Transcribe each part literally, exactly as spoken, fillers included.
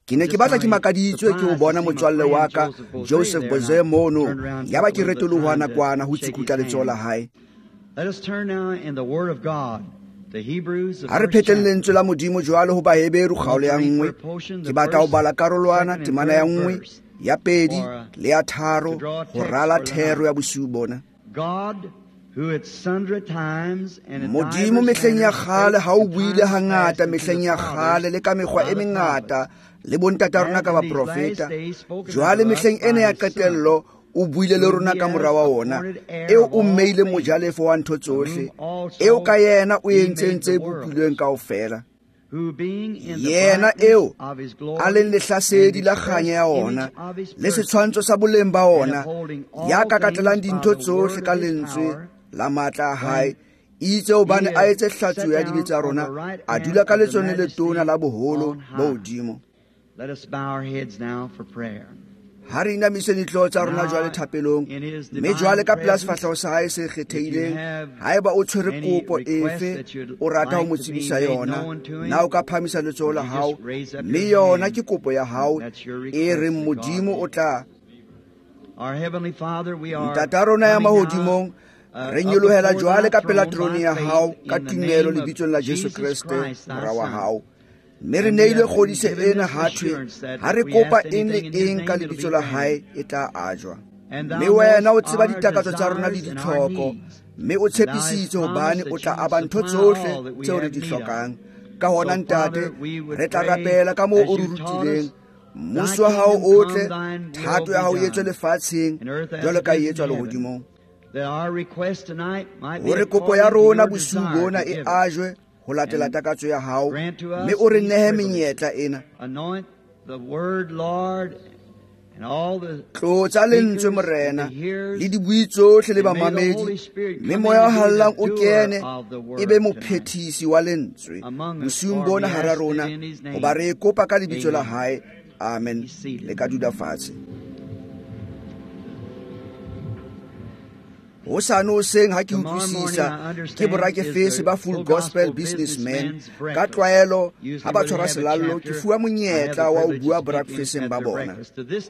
Ke ne ke batla ke makaditswe ke ho bona motswalle wa ka Joseph Boze mono, yaba ke retoloha nakwana ho tsukutla letsoho la hae. Ha re phetleng lentswe la Modimo jwalo ho Baheberu kgaolo ya nngwe. Ke batla ho bala karolwana temana ya nngwe, ya pedi le ya tharo ho rala thero ya bosiu bona. Modimo mehleng ya kgale ha o buile hangata mehleng ya kgale le ka mekgwa e mengata le bontata rona ka baprofeta. Jwale mehleng ena ya qetello o buile le rona ka mora wa ona, eo o mmeile mojalefo wa ntho tsohle, eo ka yena o entseng tse bopilweng kaofela. Yena eo a leng lehlasedi la kganya ya ona le setshwantsho sa boleng ba ona, ya kakatlelang dintho tsohle ka lentswe la matla a hae, itse hobane a etse hlatsuo ya dibe tsa rona, a dula ka letsohong le letona la boholo bo hodimo. Let us bow our heads now for prayer. Ha re inamise dihlooho tsa rona jwale thapelong, mme jwale ka pela sefahleho sa hae se kgethehileng, haeba o tshwere kopo efe o rata ho mo tsebisa yona, na o ka phahamisa letsoho la hao, mme yona ke kopo ya hao e reng Modimo o tla. Ntata rona ya mahodimong, re nyolohela jwale ka pela terone ya hao ka tumelo lebitsong la Jesu Kreste mora wa hao. Mme re neilwe kgodiso ena ha thwe ha re kopa eng le eng ka lebitso la hae e tla ajwa. Mme wena o tseba ditakatso tsa rona le ditlhoko, mme o tshepisitse hobane o tla aba ntho tsohle tseo re di hlokang. Ka hona Ntate, re tla rapela ka moo o re rutileng. Mmuso wa hao o tle, thato ya hao e etswe lefatsheng jwalo ka e etswa lehodimong. Hore kopo ya rona bosiu bona e ajwe ho latela takatso ya hao, mme o re nehe menyetla ena. Tlotsa lentswe Morena le dibui tsohle le bamamedi, mme moya o hallang o kene e be mophethisi wa lentswe bosiung bona hara rona, hoba re e kopa ka lebitso la hae. Amen. Le ka dula fatshe. Hosane hoseng ha ke utlwisisa ke borakefese ba Full Gospel Businessmen ka tlwaelo ha ba tshwara selallo ke fuwa monyetla wa ho bua borakefeseng ba bona.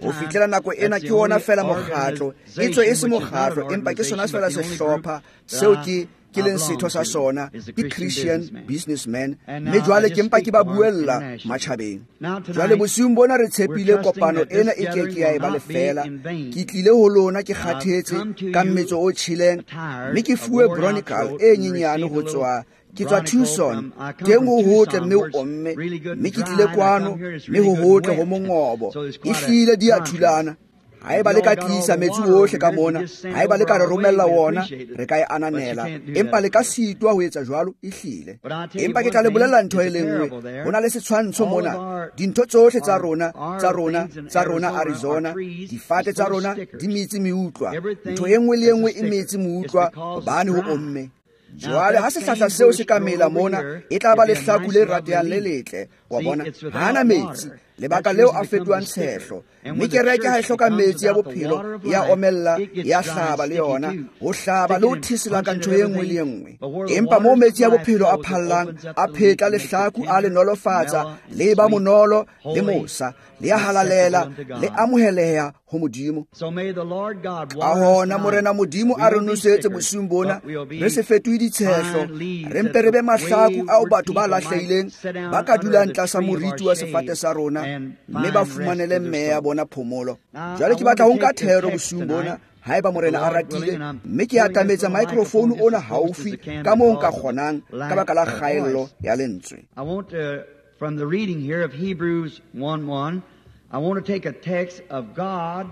Ho fihlela nako ena ke ona fela mokgatlo, e tswe e se mokgatlo empa ke sona fela sehlopha seo ke ke leng setho sa sona, ke Christian Businessman, mme jwale ke mpa ke ba buella matjhabeng. Jwale bosiung bona re tshepile kopano ena e ke ke ya eba lefeela. Ke tlile ho lona ke kgathetse ka mmetso o tjheleng, mme ke fuwe bronical e nyenyane ho tswa ke tswa Tucson, teng ho hotle mme o omme, mme ke tlile kwano mme ho hotle ho mongobo, ehlile di a thulana. Haeba le ka tlisa metsi ohle ka mona, haeba le ka re romella wona, re ka e ananela, empa le ka sitwa ho etsa jwalo ehlile. Empa ke tla le bolella ntho e le nngwe, ho na le setshwantsho mona, dintho tsohle tsa rona, tsa rona, tsa rona Arizona, difate tsa rona di metse meutlwa, ntho e nngwe le e nngwe e metse meutlwa hobane ho omme. Jwale ha sehlahla seo se ka mela mona, e tla ba lehlaku le ratehang le letle, wa bona, hana metsi, lebaka leo a fetohang tshehlo. Mme kereke ha e hloka metsi ya bophelo, ya omella, ya hlaba le yona, ho hlaba le ho thesela ka ntho e nngwe le e nngwe. Empa moo metsi ya bophelo a phallang, a phetla lehlaku, a le nolofatsa, le ba monolo le mosa, le a halalela, le amoheleha ho Modimo. Ka hona Morena Modimo a re nosetse bosiung bona, re se fetohe ditshehlo, re mpe re be mahlaku ao batho ba lahlehileng ba ka dulang tlasa moriti wa sefate sa rona, mme ba fumanele meya bona phomolo. Jwale ke batla ho nka thero bosiung bona, haeba Morena a ratile, mme ke atametsa microphone ona haufi ka moo nka kgonang ka baka la kgaello ya lentswe. I want to, from the reading here of Hebrews one one, I want to take a text of God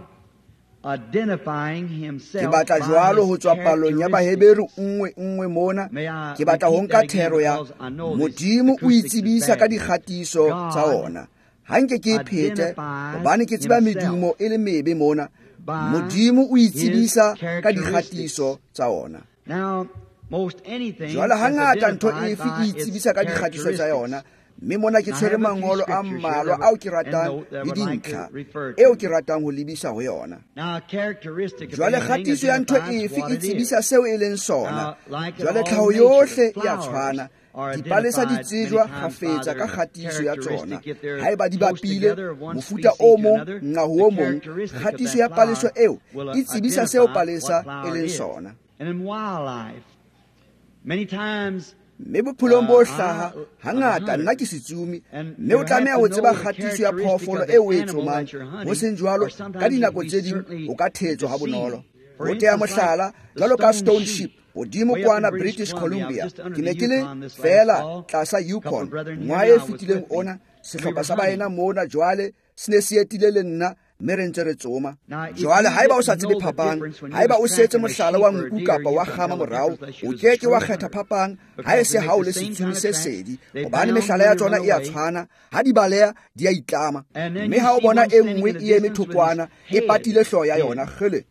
identifying himself. Ke batla jwalo ho tswa palong ya Baheberu nngwe nngwe mona, ke batla ho nka thero ya Modimo o itsebisa ka dikgatiso tsa ona. Ha nke ke e phete hobane ke tseba medumo e le mebe mona. Modimo o itsebisa ka dikgatiso tsa ona. Jwale hangata ntho efe e itsebisa ka dikgatiso tsa yona, mme mona ke tshwere mangolo a mmalwa ao ke ratang le dintlha eo ke ratang ho lebisa ho yona. Jwale kgatiso ya ntho efe e tsebisa seo e leng sona. Jwale tlhaho yohle e a tshwana, Dipalesa di tsejwa kgafetsa ka kgatiso ya tsona. Haeba di bapile mofuta o mong nqa ho o mong, kgatiso ya palesa eo e tsebisa seo palesa e leng sona. Mme bophelong bo hlaha, hangata nna ke setsumi, mme o tlameha ho tseba kgatiso ya phoofolo eo o e tsomang. Ho seng jwalo, ka dinako tse ding o ka thetswa ha bonolo. Ho tea mohlala, jwalo ka Stone Ship, hodimo kwana British Columbia, ke ne ke le feela tlasa Yukon ngwaha e fetileng ona. Sehlopha sa baena mona jwale se ne se etile le nna, mme re ntse re tsoma. Jwale haeba o sa tsebe phapang, haeba o setse mohlala wa nku kapa wa kgama morao, o ke ke wa kgetha phapang ha e se ha o le setsumi se sedi, hobane mehlala ya tsona e a tshwana. Ha di baleha di a itlama, mme ha o bona e nngwe e eme thokwana e patile hlooho ya yona, kgele,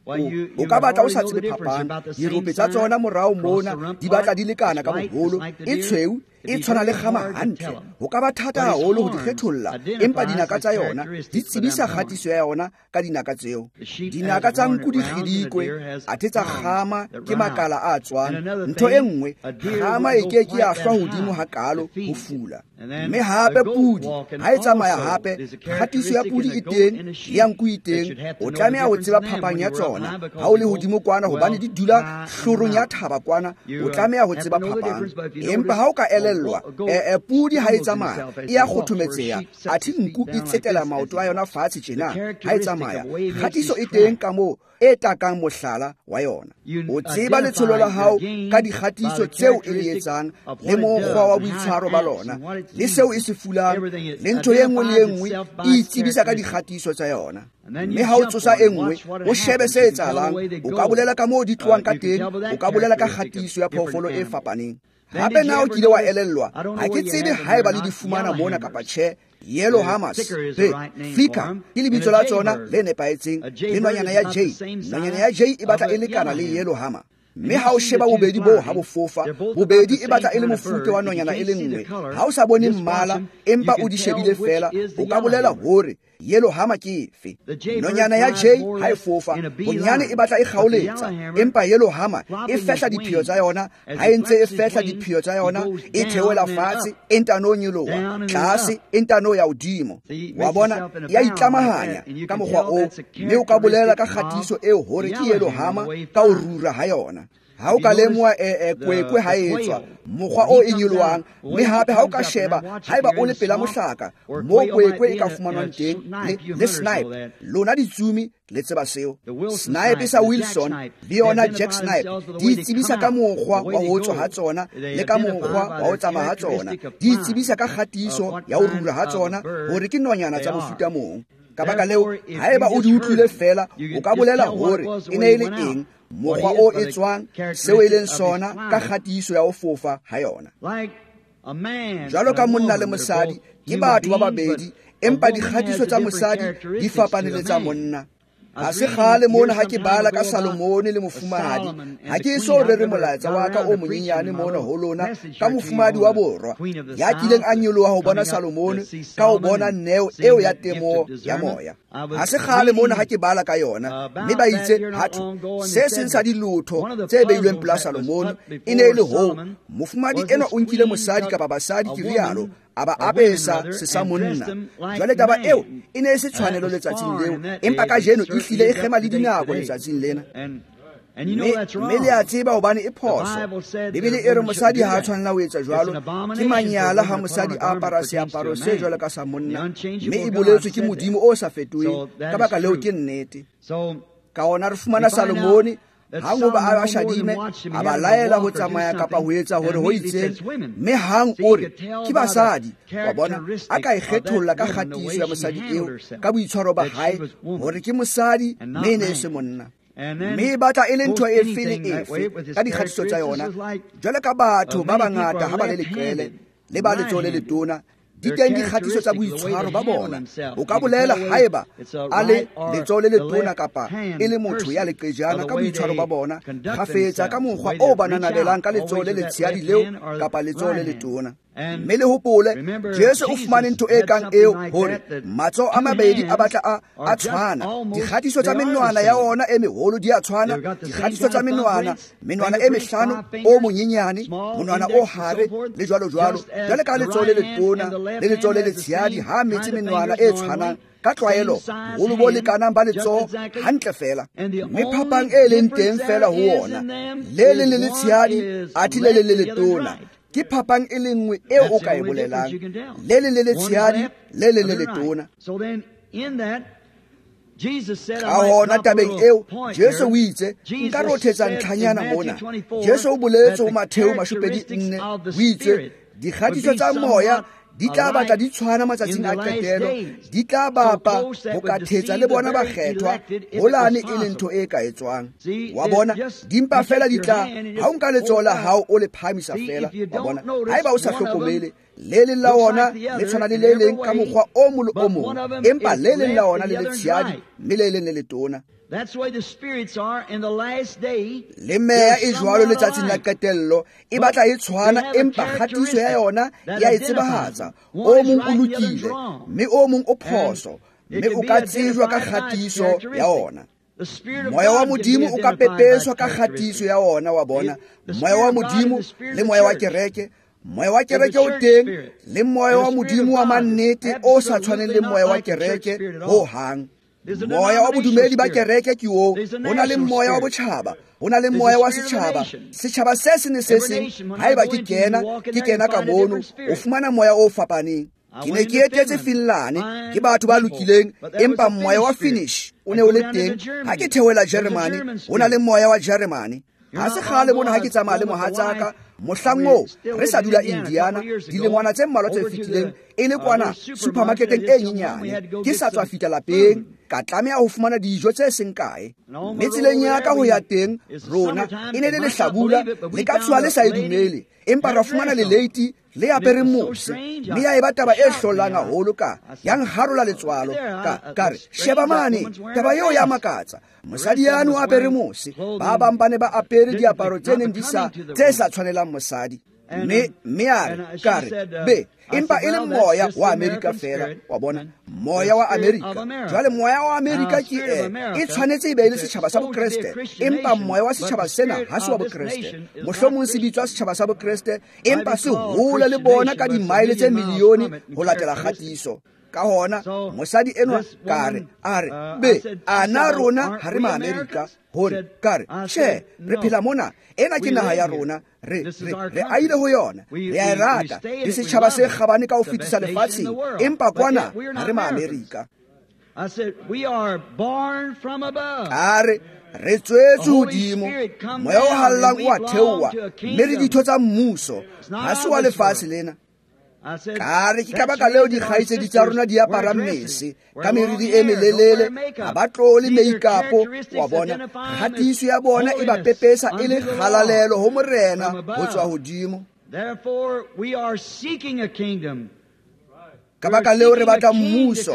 o ka batla o sa tsebe phapang. Dirope tsa tsona morao mona di batla di lekana ka boholo, e tshweu e tshwana le kgama hantle. Ho ka ba thata haholo ho di kgetholla, empa dinaka tsa yona di tsebisa kgatiso ya yona ka dinaka tseo. Dinaka tsa nku di kgidikwe, athe tsa kgama ke makala a tswang. Ntho e nngwe, kgama e ke ke ya hlwa hodimo hakalo ho fula. Mme hape pudi ha e tsamaya hape, kgatiso ya pudi e teng, ya nku e teng. O tlameha ho tseba phapang ya tsona ha o le hodimo kwana, hobane di dula hlorong ya thaba kwana. O tlameha ho tseba phapang. Empa ha o ka elellwa, e pudi ha e tsamaya e a kgothometseha, athe nku e tsetela maoto a yona fatshe tjena ha e tsamaya. Kgatiso e teng ka moo e takang mohlala wa yona. O tseba letsholo la hao ka dikgatiso tseo e le etsang, le mokgwa wa boitshwaro ba lona, le seo e se fulang, le ntho e nngwe le e nngwe e itsebisa ka dikgatiso tsa yona. Mme ha o tsosa e nngwe, o shebe se etsahalang, o ka bolela ka moo di tlohang ka teng, o ka bolela ka kgatiso ya phoofolo e fapaneng. Hape na o kile wa elellwa, ha ke tsebe haeba le di fumana mona kapa tjhe, Yellow Hammers, be fika ke lebitso la tsona le nepahetseng, le nonyana ya J. Nonyana ya J e batla e lekana le Yellow Hammer. Mme ha o sheba bobedi boo ha bo fofa, bobedi e batla e le mofuta wa nonyana e le nngwe. Ha o sa bone mmala, empa o di shebile feela, o ka bolela hore Yellow Hammer ke efe. Nonyana ya J ha e fofa, bonyane e batla e kgaoletsa, empa Yellow Hammer e fehla diphio tsa yona. Ha e ntse e fehla diphio tsa yona, e theohela fatshe, e ntano nyoloha tlase, e ntano ya hodimo. Wa bona, ya itlamahanya ka mokgwa oo, mme o ka bolela ka kgatiso eo hore ke Yellow Hammer ka ho rura ha yona. Ha o ka lemoha e kwekwe ha e tswa, mokgwa o e nyolohang, mme hape ha o ka sheba haeba o le pela mohlaka moo kwekwe e ka fumanwang teng, le, le snipe, lona ditsumi le tseba seo. Snipe sa Wilson le yona Jack Snipe di itsebisa ka mokgwa wa ho tswa ha tsona le ka mokgwa wa ho tsamaya ha tsona. Di itsebisa ka kgatiso ya ho rura ha tsona hore ke nonyana tsa mofuta mong. Ka baka leo, haeba o di utlwile feela, o ka bolela hore e ne e le eng, mokgwa o e tswang, seo e leng sona ka kgatiso ya ho fofa ha yona. Jwalo ka monna le mosadi, ke batho ba babedi, empa dikgatiso tsa mosadi di fapane le tsa monna. Ha se kgale mona ha ke bala ka Salomone le mofumahadi, ha ke eso rere molaetsa wa ka o monyenyane mona ho lona ka mofumahadi wa borwa ya kileng a nyoloha ho bona Salomone ka ho bona neo eo ya temo ya moya. Ha se kgale mona ha ke bala ka yona, mme ba itse hathwe se seng sa dilotho tse beilweng pela Salomone e ne e le hoo mofumahadi enwa o nkile mosadi kapa basadi, ke rialo, a ba apesa se sa monna. Jwale taba eo e ne e se tshwanelo letsatsing leo, empa kajeno e hlile e kgema le dinako letsatsing lena. Mme le a tseba hobane e phoso. Bibele e re mosadi ha a tshwanela ho etsa jwalo. Ke manyala ha mosadi a apara seaparo se jwalo ka sa monna, mme e boletswe ke Modimo o sa fetoheng. Ka baka leo ke nnete. Ka ona re fumana Salomone hang hoba a ba shadime, a ba laela ho tsamaya kapa ho etsa hore ho itseng, mme hang o re ke basadi. Wa bona, a ka e kgetholla ka kgatiso ya mosadi eo ka boitshwaro ba hae hore ke mosadi mme e ne e se monna. Mme e batla e le ntho efe le efe ka dikgatiso tsa yona. Jwalo ka batho ba bangata ha ba le leqele le ba letsoho le letona, di teng dikgatiso tsa boitshwaro ba bona. O ka bolela haeba a le letsoho le letona kapa e le motho ya leqejana ka boitshwaro ba bona, kgafetsa ka mokgwa o ba nanabelang ka letsoho le letshehadi leo kapa letsoho le letona. Mme le hopole Jesu o fumane ntho e kang eo hore matsoho a mabedi a batla a a tshwana, dikgatiso tsa menwana ya ona e meholo di a tshwana, dikgatiso tsa menwana, menwana e mehlano o monyenyane, monwana o hare le jwalo jwalo. Jwale ka letsoho le letona le letsoho le letshehadi ha metse menwana e tshwanang ka tlwaelo, boholo bo lekanang ba letsoho hantle fela. Mme phapang e leng teng fela ho ona, le leng le letshehadi athe le leng le letona. Ke phapang e le nngwe eo o ka e bolelang, le leng le letshehadi, le leng le letona. Ka hona tabeng eo Jesu o itse, nka rothetsa ntlhanyana mona. Jesu o boletse ho Matheu mashopedi nne, o itse dikgatiso tsa moya di tla batla di tshwana matsatsing a qetelo, di tla bapa ho ka thetsa le bona bakgethwa holane e le ntho e ka etswang. Wa bona, di mpa fela di tla ha o nka letsoho la hao o le phahamisa fela. Wa bona, haeba o sa hlokomele, le leng la ona le tshwana le le leng ka mokgwa o mong le o mong, empa le leng la ona le letshehadi mme le leng le letona. That's the way the spirits are in the last day. Le meya e jwalo letsatsing la qetello e batla e tshwana, empa kgatiso ya yona ya e tsebahatsa. O mong o lokile mme o mong o phoso, mme o ka tsejwa ka kgatiso ya ona. Moya wa Modimo o ka pepeswa ka kgatiso ya ona, wa bona. Moya wa Modimo le moya wa kereke, moya wa kereke o teng le moya wa Modimo wa mannete o sa tshwaneng le moya wa kereke ho hang. Moya wa bodumedi ba kereke ke oo, ho na le moya wa botjhaba, ho na le moya wa setjhaba. Setjhaba se seng le se seng, haeba ke kena, ke kena ka mono, o fumana moya o fapaneng. Ke ne ke etetse Finland, ke batho ba lokileng, empa moya wa Finnish o ne o le teng. Ha ke theohela Germany, ho na le moya wa Germany. Ha se kgale mona ha ke tsamaya le mohatsaka, mohlang oo re sa dula Indiana dilengwana tse mmalwa tse fetileng, e le kwana supermarketeng e nyenyane. Ke sa tswa fihla lapeng, ka tlameha ho fumana dijo tse seng kae. Mme tseleng ya ka ho ya teng rona e ne le lehlabula, le ka tshoha le sa e dumele, empa ra fumana leleiti le apereng mose. Mme ya eba taba e hlollang haholo, ka ya nharola letswalo. Ka ka re, sheba mane, taba eo ya makatsa. Mosadi yano o apere mose, ba bang ba ne ba apere diaparo tse neng di sa tse sa tshwanelang mosadi. Mme mme a re, ka re, be, empa e le moya wa Amerika fela, wa bona, moya wa Amerika. Jwale moya wa Amerika ke e, e tshwanetse e be e le setjhaba sa Bokreste, empa moya wa setjhaba sena ha se wa Bokreste. Mohlomong se bitswa setjhaba sa Bokreste, empa se hole le bona ka dimaele tse milione ho latela kgatiso. Ka hona mosadi enwa ka re, a re, be, ana rona ha re ma-Amerika? Hore ka re, tjhe, re phela mona, ena ke naha ya rona, re re re aile ho yona, re a e rata, ke setjhaba se kgabane ka ho fetisa lefatsheng, empa kwana ha re ma-Amerika. A re, re tswetswe hodimo, moya o hallang o a theoha, mme re ditho tsa mmuso, ha se wa lefatshe lena. Ka re ke ka baka leo dikgaitsedi tsa rona di aparang mese ka meriri e melelele, ha ba tlole make-up, wa bona. Kgatiso ya bona e ba pepesa e le kgalalelo ho Morena ho tswa hodimo. Ka baka leo re batla mmuso,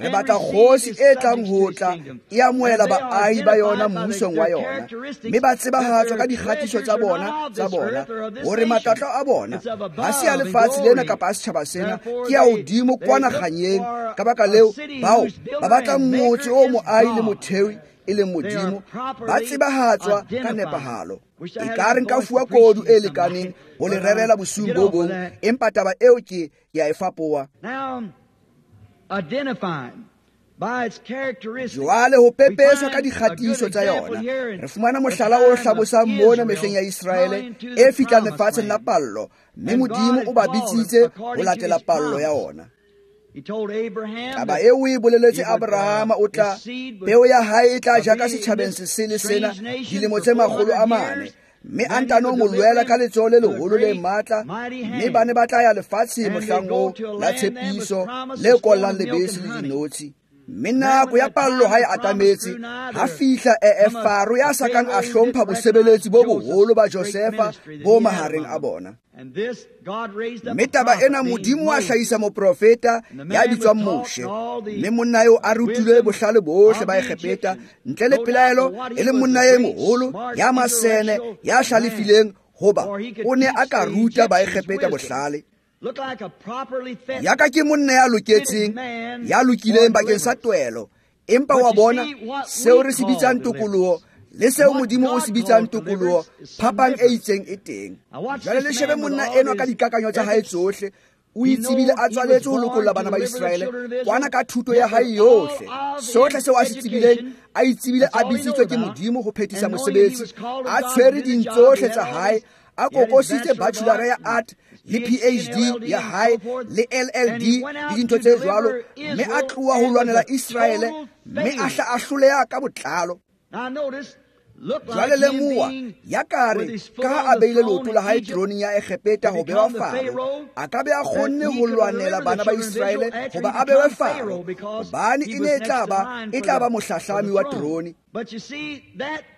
re batla kgosi e tlang ho tla e amohela baahi ba yona mmusong wa yona, mme ba tsebahatswa ka dikgatiso tsa bona tsa bona hore matlotlo a bona ha se a lefatshe lena kapa a setjhaba sena, ke a hodimo kwana kganyeng. Ka baka leo bao ba batla motse o moahi le mothewi e leng Modimo, ba tsebahatswa ka nepahalo. E ka re nka fuwa kodu e lekaneng ho le rerela bosiung bo bong, empa taba eo ke ke a e fapoha. Jwale ho pepeswa ka dikgatiso tsa yona, re fumana mohlala o hlabosang mona mehleng ya Iseraele e fihlang lefatsheng la pallo, mme Modimo o ba bitsitse ho latela pallo ya ona. Taba eo o e boleletse Abrahama, o tla peo ya hae e tla ja ka setjhabeng se sele sena dilemo tse makgolo a mane, mme a ntano mo lwela ka letsoho le leholo le matla, mme ba ne ba tla ya lefatsheng mohlang oo la tshepiso le kollang lebese le dinotshi. Mme nako ya pallo ha e atametse, ha fihla e Faro ya sa kang a hlompha bosebeletsi bo boholo ba Josefa bo mahareng a bona. Mme taba ena Modimo a hlahisa moprofeta ya bitswang Moshe, mme monna eo a rutilwe bohlale bohle ba Egepeta, ntle le pelaelo e le monna e moholo ya masene ya hlalefileng, hoba o ne a ka ruta ba Egepeta bohlale. Yaka ke monna ya loketseng, ya lokileng bakeng sa twelo. Empa wa bona seo re se bitsang tokoloho le seo Modimo o se bitsang tokoloho, phapang e itseng e teng. Jwale le shebe monna enwa ka dikakanyo tsa hae tsohle. O itsebile a tswaletswe ho lokolla bana ba Iseraele kwana ka thuto ya hae yohle. Sohle seo a se tsebileng, a itsebile a bitsitswe ke Modimo ho phethisa mosebetsi. A tshwere dintsohle tsa hae, a kokositse bachelor ya art le P H D ya hae le L L D le dintho tse jwalo, mme a tloha ho lwanela Iseraele, mme a hla a hloleha ka botlalo. Jwale lemoha, ya kare ka ha a beile leoto la hae teroneng ya Egepeta ho bewa Faro, a ka be a kgonne ho lwanela bana ba Iseraele hoba a bewe Faro, hobane e ne e tla ba e tla ba mohlahlami wa terone.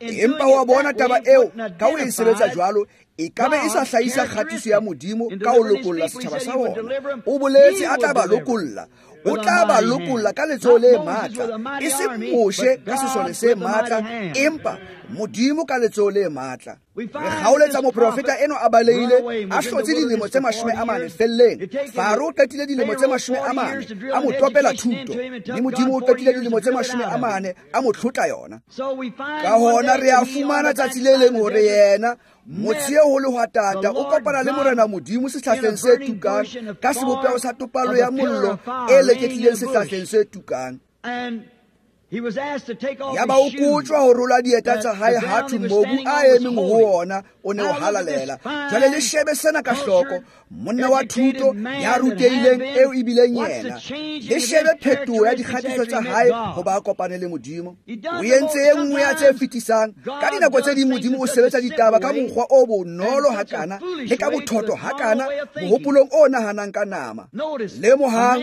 Empa wa bona taba eo ka ho e sebetsa jwalo, e ka be e sa hlahisa kgatiso ya Modimo ka ho lokolla setjhaba sa ona. O boletse a tla ba lokolla. O tla ba lokolla ka letsoho le matla, e seng Moshe ka sesole se matla, empa Modimo ka letsoho le matla. Re kgaoletsa moprofeta eno a balehile, a hlotse dilemo tse mashome a mane felleng. Faro o qetile dilemo tse mashome a mane a mo topela thuto, mme Modimo o qetile dilemo tse mashome a mane a mo tlotla yona. Ka hona re a fumana tsatsi le leng hore yena motse ho lehwatata o kopana le Morena Modimo sehlahleng se tukang, ka sebopeho sa topallo ya mollo e leketlileng sehlahleng se tukang. Yaba o kotjwa ho rola dieta tsa hae ha thwe mobu a emeng ho ona o ne o halalela. Jwale le shebe sena ka hloko, monna wa thuto ya rutehileng eo ebileng yena. Le shebe phetoho ya dikgatiso tsa hae hoba a kopane le Modimo. O entse e nngwe ya tse fetisang. Ka dinako tse ding Modimo o sebetsa ditaba ka mokgwa o bonolo hakana le ka bothoto hakana mohopolong o nahanang ka nama. Lemohang,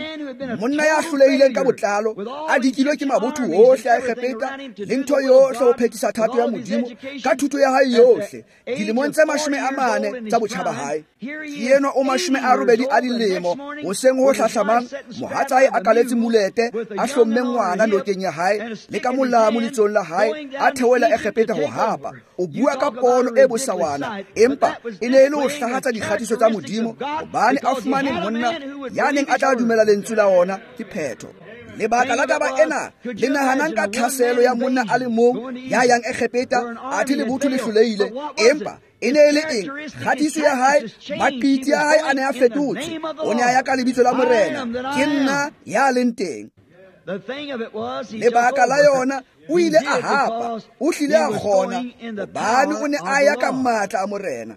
monna ya hlolehileng ka botlalo, a dikilwe ke mabotho ohle a Egepeta le ntho yohle ho phethisa thato ya Modimo ka thuto ya hae yohle dilemong tse mashome a mane tsa botjha ba hae. Ke enwa o mashome a robedi a dilemo, hoseng ho hlahlamang mohatsae a kaletse mulete, a hlomme ngwana nokeng ya hae le ka molamu letsong la hae, a theohela Egepeta ho hapa. O bua ka pono e bosawana, empa e ne e le ho hlahatsa dikgatiso tsa Modimo, hobane a fumane monna ya neng a tla dumela lentswe la ona. Ke phetho. Lebaka la taba ena le nahanang ka tlhaselo ya monna a le mong ya yang Egepeta, athe lebotho le hlolehile, empa e ne e le eng? Kgatiso ya hae, maqiti a hae a ne a fetotse. O ne a ya ka lebitso la Morena, ke nna ya leng teng. Lebaka la yona, o ile a hapa, o hlile a kgona, hobane o ne a ya ka matla a Morena.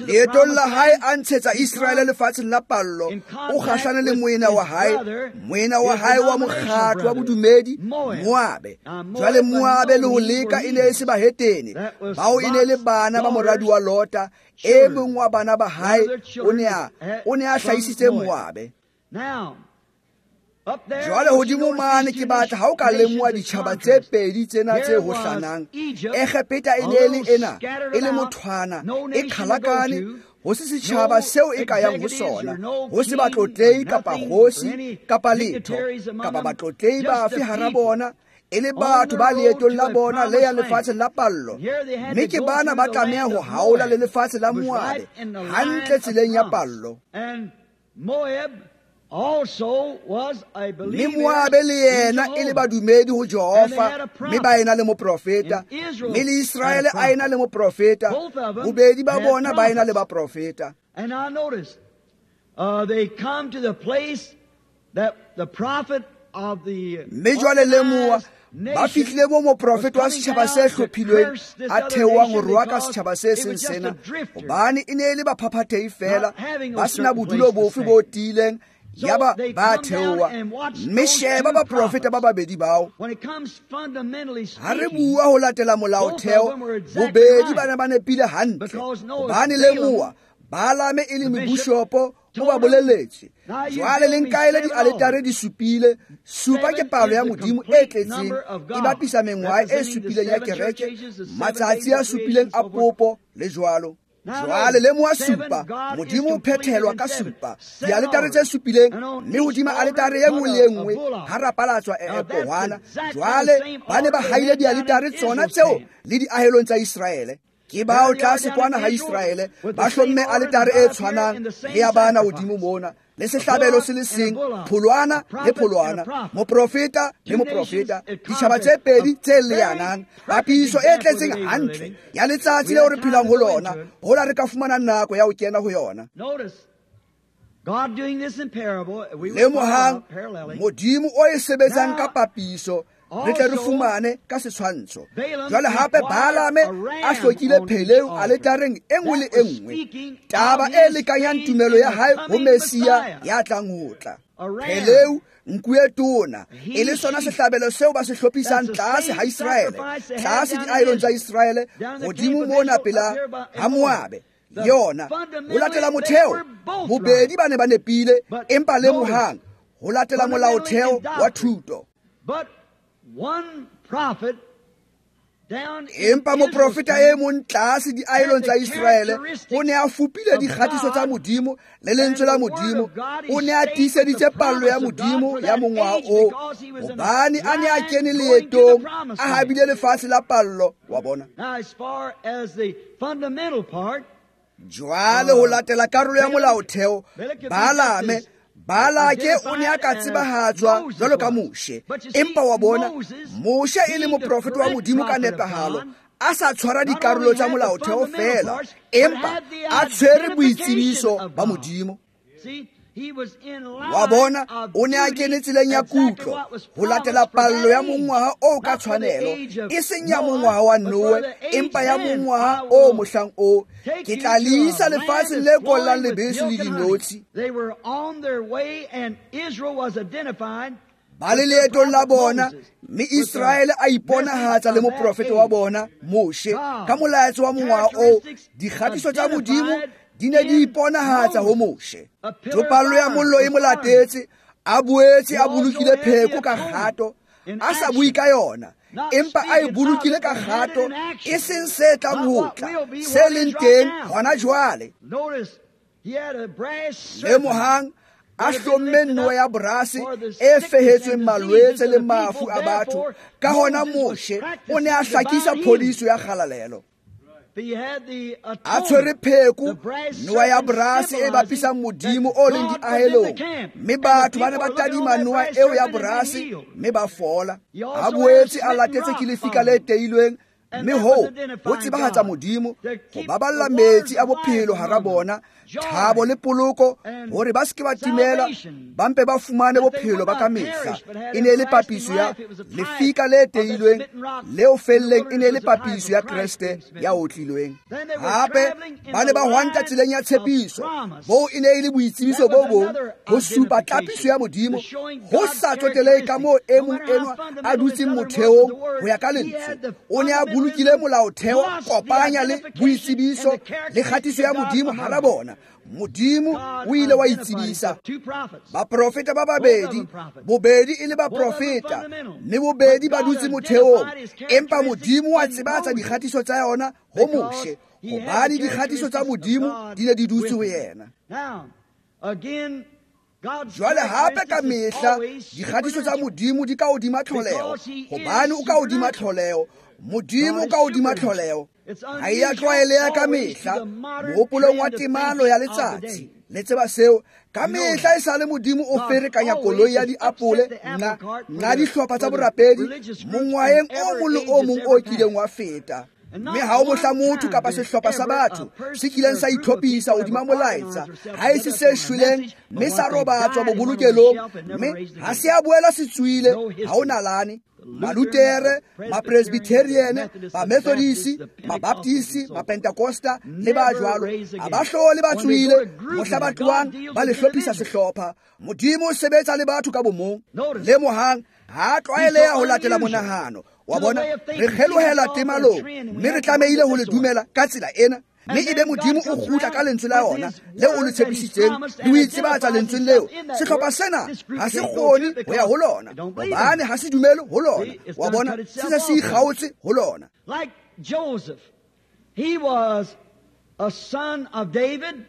Leetong la hae a ntshetsa Iseraele lefatsheng la pallo, o kgahlane le moena wa hae, moena wa hae wa mokgatlo wa bodumedi, Moabe. Jwale Moabe le ho leka e ne e se bahetene, bao e ne le bana ba moradi wa Lota, e mong wa bana ba hae o ne a o ne a hlahisitse Moabe. Jwale hodimo mane ke batla ha o ka lemoha ditjhaba tse pedi tsena tse hohlanang. Egepeta e ne e le ena, e le mothwana, e qhalakane, ho se setjhaba seo e ka yang ho sona, ho se batlotlehi kapa kgosi kapa letho, kapa batlotlehi bafe hara bona, e le batho ba leetong la bona le yang lefatsheng la pallo. Mme ke bana ba tlameha ho haola le lefatshe la Moabe, hantle tseleng ya pallo. Mme Moabe le yena e le badumedi ho Jehova, mme ba ena le moprofeta, mme le Iseraele a ena le moprofeta, bobedi ba bona ba ena le baprofeta. Mme jwale lemoha, ba fihlile moo moprofeta wa setjhaba se hlophilweng a theohang ho roaka setjhaba se seng sena, hobane e ne e le baphaphathehi feela, ba sena bodulo bofe bo tiileng. Yaba ba theoha, mme sheba baprofeta ba babedi bao. Ha re bua ho latela molaotheo, bobedi ba ne ba nepile hantle, hobane lemoha Balame e le mobishopo o ba boleletse. Jwale le nkaele dialetare di supile, supa ke palo ya Modimo e tletseng, e bapisa mengwaha e supileng ya kereke, matsatsi a supileng a popo le jwalo. Jwale lemoha supa, Modimo o phethelwa ka supa, dialetare tse supileng, mme hodima aletare e nngwe le e nngwe ha rapalatswa e pohwana. Jwale ba ne ba haile dialetare tsona tseo le diahelong tsa Iseraele. Ke bao tlase kwana ha Israele ba hlomme aletare e tshwanang le ya bana hodimo mona, le sehlabelo se le seng, pholwana le pholwana, moprofeta le moprofeta, ditjhaba tse pedi tse leanang, papiso e tletseng hantle ya letsatsi leo re phelang ho lona, hola re ka fumana nako ya ho kena ho yona. Lemohang Modimo o e sebetsang ka papiso, re tle re fumane ka setshwantsho. Jwale hape Balaame a hlokile pheleu aletareng e nngwe le e nngwe, taba e lekanyang tumelo ya hae ho Mesia ya tlang ho tla. Pheleu nku e tona e le sona sehlabelo seo ba se hlophisang tlase ha Israele, tlase diahelong tsa Israele, hodimo mona pela ha Moabe. Yona ho latela motheo, bobedi ba ne ba nepile, empa lemohang ho latela molaotheo wa thuto. Empa moprofeta e mong tlase diahelong tsa Israele o ne a fupile dikgatiso tsa Modimo le lentswe la Modimo, o ne a tiiseditse pallo ya Modimo ya mongwaha oo, hobane a ne a kene leetong a habile lefatshe la pallo wa bona. Jwale ho latela karolo ya molaotheo, Balaame Balake o ne a ka tsebahatswa jwalo ka Moshe, empa wa bona Moshe e le moprofeta wa Modimo ka nepahalo, a sa tshwara dikarolo tsa molaotheo fela, empa a tshwere boitsebiso ba Modimo. Wa bona o ne a kene tseleng ya kutlo ho latela pallo ya mongwaha o ka tshwanelo, e seng ya mongwaha wa Noe, empa ya mongwaha o mohlang o ke tla le isa lefatsheng le kollang lebese le dinotshi. Ba le leetong la bona, mme Israele a iponahatsa le moprofeta wa bona Moshe ka molaetsa wa mongwaha oo. Dikgatiso tsa Modimo di ne di iponahatsa ho Moshe. Topallo ya mollo e mo latetse, a boetse a bolokile pheko ka kgato, a sa bue ka yona, empa a e bolokile ka kgato, e seng se tlang ho tla, se leng teng hona jwale. Lemohang a hlomme noa ya borase e fehetsweng malwetse le mafu a batho. Ka hona Moshe o ne a hlakisa phodiso ya kgalalelo. A tshwere pheko, noa ya borase e bapisang Modimo o leng diahelong, mme batho ba ne ba tadima noa eo ya borase mme ba fola. A boetse a latetse ke lefika le teilweng, mme hoo ho tsebahatsa Modimo, ho baballa metsi a bophelo hara bona, thabo le poloko, hore ba se ke ba timela, ba mpe ba fumane bophelo ba ka mehla. E ne e le papiso ya lefika le teilweng, leo felleng e ne e le papiso ya Kreste ya otlilweng. Hape ba ne ba hwanta tseleng ya tshepiso, boo e ne e le boitsebiso bo bong ho supa tlapiso ya Modimo, ho sa tsotelehe ka moo e mong enwa a dutseng motheong ho ya ka lentswe. O ne a bolokile molaotheo, kopanya le boitsebiso le kgatiso ya Modimo hara bona. Modimo o ile wa itsebisa. Baprofeta ba babedi, bobedi e le baprofeta, mme bobedi ba dutse motheong, empa Modimo wa tsebatsa dikgatiso tsa yona ho Moshe, hobane dikgatiso tsa Modimo di ne di dutse ho yena. Jwale hape ka mehla dikgatiso tsa Modimo di ka hodima tlholeho, hobane o ka hodima tlholeho. Modimo ka hodima tlholeho. Ha e a tlwaeleha ka mehla mohopolong wa temalo ya letsatsi. Le tseba seo, ka mehla e sale Modimo o ferekanya koloi ya diapole nna nna dihlopha tsa borapedi mongwaheng o mong le o mong o kileng wa feta. Mme ha o mohla motho kapa sehlopha sa batho se kileng sa itlhophisa hodima molaetsa, ha e se se shweleng mme sa robatswa bobolokelong, mme ha se a boela se tswile, ha o nalane. Malutere, Mapresbyterian, Bamethodisi, Mabaptisi, Mapentekosta le ba jwalo, ha ba hlole ba tswile mohla ba tlohang ba le hlophisa sehlopha. Modimo o sebetsa le batho ka bomong. Lemohang ha tlwaeleha ho latela monahano wa bona. Re kgelohela temalong, mme re tlamehile ho le dumela ka tsela ena, mme ebe Modimo o kgutla ka lentswe la yona leo o le tshepisitseng, le ho itsebatsa lentsweng leo. Sehlopha sena ha se kgone ho ya ho lona, hobane ha se dumele ho lona. Wa bona, se se se ikgaotse ho lona. Like Joseph, he was a son of David,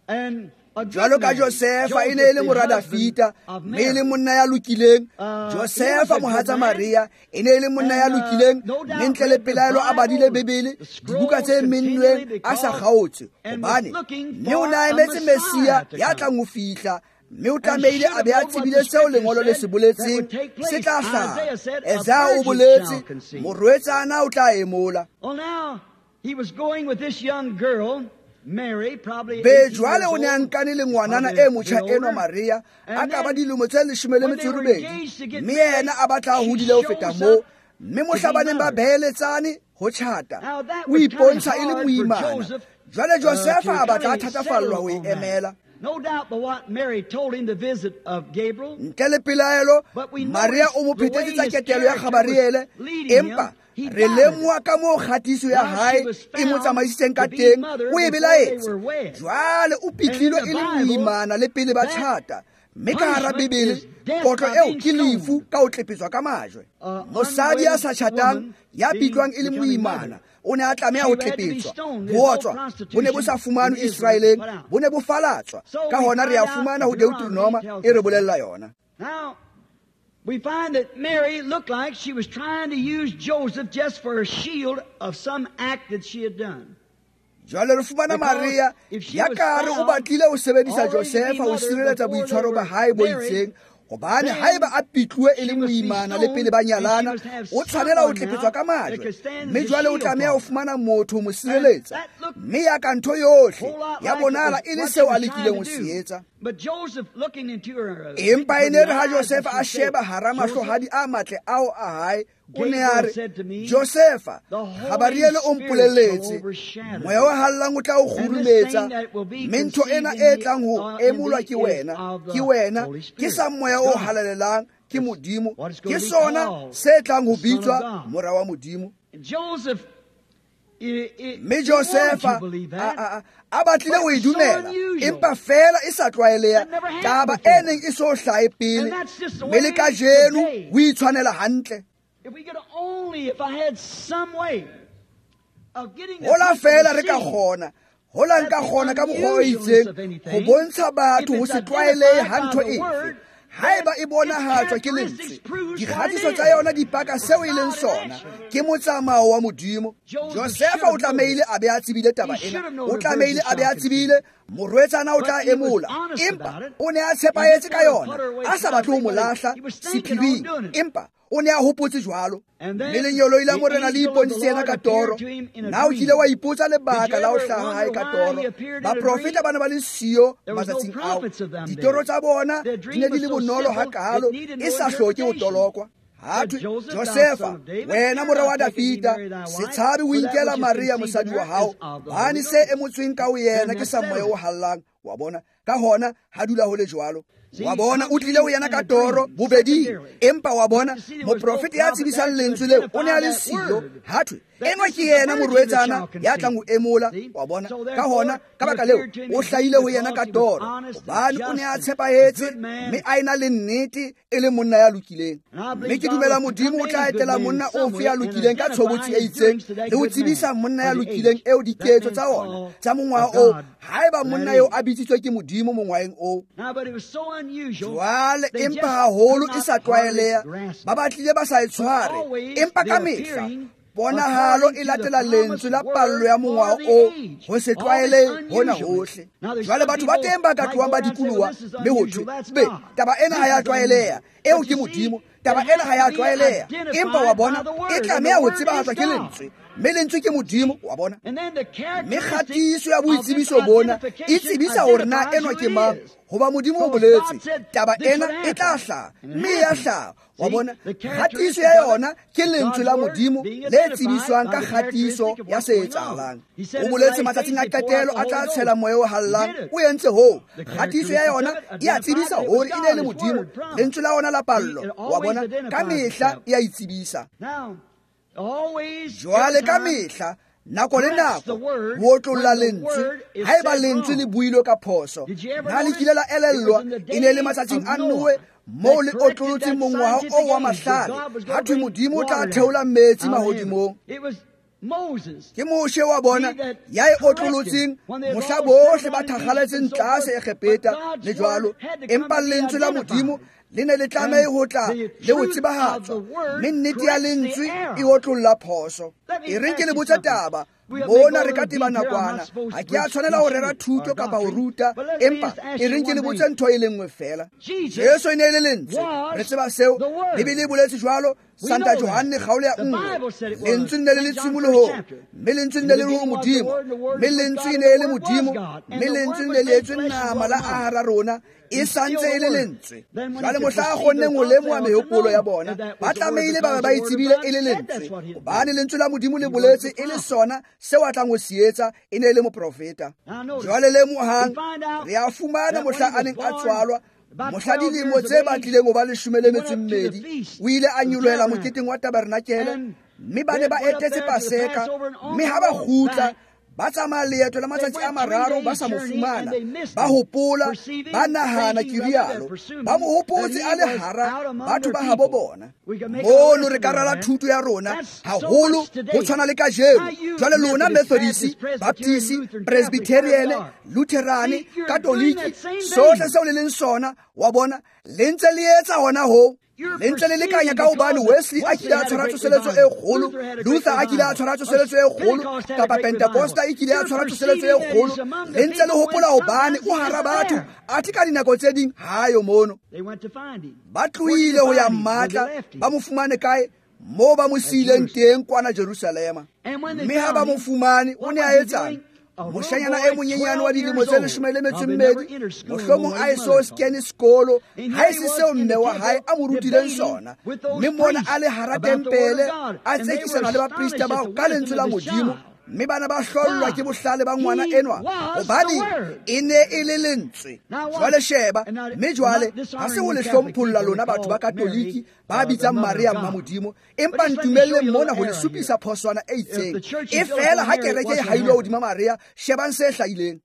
and Jwalo ka Josefa e ne e le mora Dafita, mme e le monna ya lokileng. Josefa mohatsa Maria e ne e le monna ya lokileng, mme ntle le pelaelo a badile Bibele, dibuka tse mennweng a sa kgaotse, hobane mme o ne a emetse Messia ya tlang ho fihla, mme o tlamehile a be a tsebile seo lengolo le se boletseng se tla hlaha. Esaya o boletse, morwetsana o tla emola. He was going with this young girl, Mary, probably Be jwale o ne a nkane le ngwanana e motjha enwa Maria, a ka ba dilemo tse leshome le metso e robedi, mme yena a batla a hodile ho feta moo, mme mohla ba neng ba beheletsane ho tjhata, o ipontsha e le moimana. Jwale Josefa a batla a thatafallwa ho e emela. No doubt but what Mary told him the visit of Gabriel. Ntle le pelaelo, Maria o mo phetetse tsa ketelo ya Gabriele, empa re lemoha ka moo kgatiso ya hae e mo tsamaisitseng ka teng, o e belaetse. Jwale o pitlilwe e le moimana le pele ba tjhata, mme ka hara Bibele kotlo eo ke lefu ka ho tlepetswa ka majwe. Mosadi ya sa tjhatang ya pitlwang e le moimana o ne a tlameha ho tlepetswa. Bootswa bo ne bo sa fumanwe Israeleng, bo ne bo falatswa. Ka hona re a fumana ho Deuteronoma e re bolella yona. We find that Mary looked like she was trying to use Joseph just for a shield of some act that she had done. Jwale re fumana Maria ya kare o batlile ho sebedisa Josefa ho sireletsa boitshwaro ba hae bo itseng, hobane haeba a pitluwe e le moimana le pele ba nyalana, o tshwanela ho tlepetswa ka majwe, mme jwale o tlameha ho fumana motho ho mo sireletsa. Mme ya ka ntho yohle ya bonahala e le seo a lekileng ho se etsa. Empa e ne re ha Josefa a sheba hara mahlohadi a matle ao a hae, o ne a re, Josefa, Gabriele o mpolelletse, moya o hallang o tla o kgurumetsa, mme ntho ena e tlang ho emolwa ke wena, ke wena, ke sa moya o halalelang, ke Modimo, ke sona se tlang ho bitswa mora wa Modimo. Mme Josefa a a batlile ho e dumela, empa fela e sa tlwaeleha, taba e neng e so hlahe pele, mme le kajeno ho itshwanela hantle. Hola fela re ka kgona, hola nka kgona ka mokgwa o itseng ho bontsha batho ho se tlwaelehe ha ntho efe. Haeba e bonahatswa ke lentswe, dikgatiso tsa yona di paka seo e leng sona, ke motsamao wa Modimo. Josefa o tlamehile a be a tsebile taba ena, o tlamehile a be a tsebile morwetsana o tla emola, empa o ne a tshepahetse ka yona, a sa batle ho mo lahla sephiring, empa o ne a hopotse jwalo. Mme lengeloi la Morena le ipontshitse yena ka toro. Na o kile wa ipotsa lebaka la ho hlaha hae ka toro? Baprofeta ba ne ba le siyo matsatsing ao. Ditoro tsa bona di ne di le bonolo hakaalo, e sa hloke ho tolokwa. Ha thwe, Josefa, wena mora wa Dafita, se tshabe ho inkela Maria mosadi wa hao, hobane se emotsweng ka ho yena ke sa moya o hallang. Wa bona? Ka hona ha dula ho le jwalo. Wa bona, o tlile ho yena ka toro bobeding, empa wa bona moprofeta ya tsebisang lentswe leo o ne a le siyo. Ha thwe, enwa ke yena morwetsana ya tlang ho emola. Wa bona? Ka hona, ka baka leo, o hlahile ho yena ka toro, hobane o ne a tshepahetse mme a ena le nnete e le monna ya lokileng. Mme ke dumela Modimo o tla etela monna ofe ya lokileng ka tshobotsi e itseng le ho tsebisa monna ya lokileng eo diketso tsa ona tsa mongwaha oo, haeba monna eo a bitsitswe ke Modimo mongwaheng oo. Jwale empa haholo e sa tlwaeleha, ba batlile ba sa e tshware, empa ka mehla ponahalo e latela lentswe la pallo ya mongwaha oo, ho se tlwaele hona hohle. Jwale batho ba teng ba ka tlohang ba dikoloha, mme ho thwe, be, taba ena ha ya tlwaeleha, eo ke Modimo, taba ena ha ya tlwaeleha, empa wa bona e tlameha ho tsebahatswa ke lentswe, mme lentswe ke Modimo. Wa bona? Mme kgatiso ya boitsebiso bona e tsebisa hore na enwa ke mang, hoba Modimo o boletse taba ena e tla hlaha, mme ya hlaha. Wa bona? Kgatiso ya yona ke lentswe la Modimo le tsebiswang ka kgatiso ya se etsahalang. O boletse matsatsing a qetelo a tla tshela moya o hallang, o entse hoo. Kgatiso ya yona e a tsebisa hore e ne le Modimo, lentswe la ona la pallo. Wa bona? Ka mehla e a itsebisa. Jwale ka mehla, nako le nako, ho otlolla lentswe, haeba lentswe le builwe ka phoso. Na le kile la elellwa, e ne le matsatsing a Noe moo le otlolotseng mongwaha oo wa mahlale, ha thwe Modimo o tla theola metsi mahodimong. Ke Moshe wa bona ya e otlolotseng mohla bohle ba thakgaletseng tlase Egepeta le jwalo, empa lentswe la Modimo le ne le tlameha ho tla le ho tsebahatswa, mme nnete ya lentswe e otlolla phoso. E reng ke le botse taba mona, re ka teba nakwana, ha ke a tshwanela ho rera thuto kapa ho ruta, empa e reng ke le botse ntho e le nngwe fela. Jesu e ne e le lentswe, re tseba seo, Bibele e boletse jwalo. Santa Johanne kgaolo ya nngwe, lentswe le ne le le tshimolohong, mme lentswe le ne le le ho Modimo, mme lentswe e ne e le Modimo, mme lentswe le ne le etswe nama la aha hara rona, e santse e le lentswe. Jwale mohla a kgonneng ho lemoha mehopolo ya bona, ba tlamehile ba be ba e tsebile e le lentswe, hobane lentswe la Modimo le boletse e le sona seo a tlang ho se etsa, e ne e le moprofeta. Jwale lemohang, re a fumana mohla a neng a tswalwa, mohla dilemo tse batlileng ho ba leshome le metso e mmedi, o ile a nyolohela moketeng wa tabernakele, mme ba ne ba etetse Paseka, mme ha ba kgutla ba tsamaya leeto la matsatsi a mararo ba sa mo fumana, ba hopola, ba nahana ke rialo, ba mo hopotse a le hara batho ba habo bona. Mono re ka rala thuto ya rona haholo ho tshwana le kajeno. Jwale lona Methodist, Baptist, Presbyterian, Lutheran, Catholic, sohle seo le leng sona, wa bona, le ntse le etsa hona ho. Le ntse le lekanya ka hobane Wesley a kile a tshwara tsoseletso e kgolo, Luther a kile a tshwara tsoseletso e kgolo, kapa Pentecosta e kile a tshwara tsoseletso e kgolo. Le ntse le hopola hobane o hara batho, athe ka dinako tse ding ha yo mono. Ba tlohile ho ya mmatla, ba mo fumane kae? Moo ba mo siileng teng kwana Jerusalema. Mme ha ba mo fumane, o ne a etsang? Moshanyana e monyenyane wa dilemo tse leshome le metso e mmedi, mohlomong a eso kene sekolo, ha e se seo mme wa hae a mo rutileng sona, mme mona a le hara tempele a tsekisana le baprista bao ka lentswe la Modimo, mme bana ba hlollwa ke bohlale ba ngwana enwa, hobane e ne e le lentswe. Jwale sheba, mme jwale ha se ho le hlompholla lona batho ba Katoliki ba bitsang Maria mma Modimo, empa ntumelleng mona ho le supisa phoswana e itseng. E fela ha kereke e hailwa hodima Maria, shebang se hlahileng.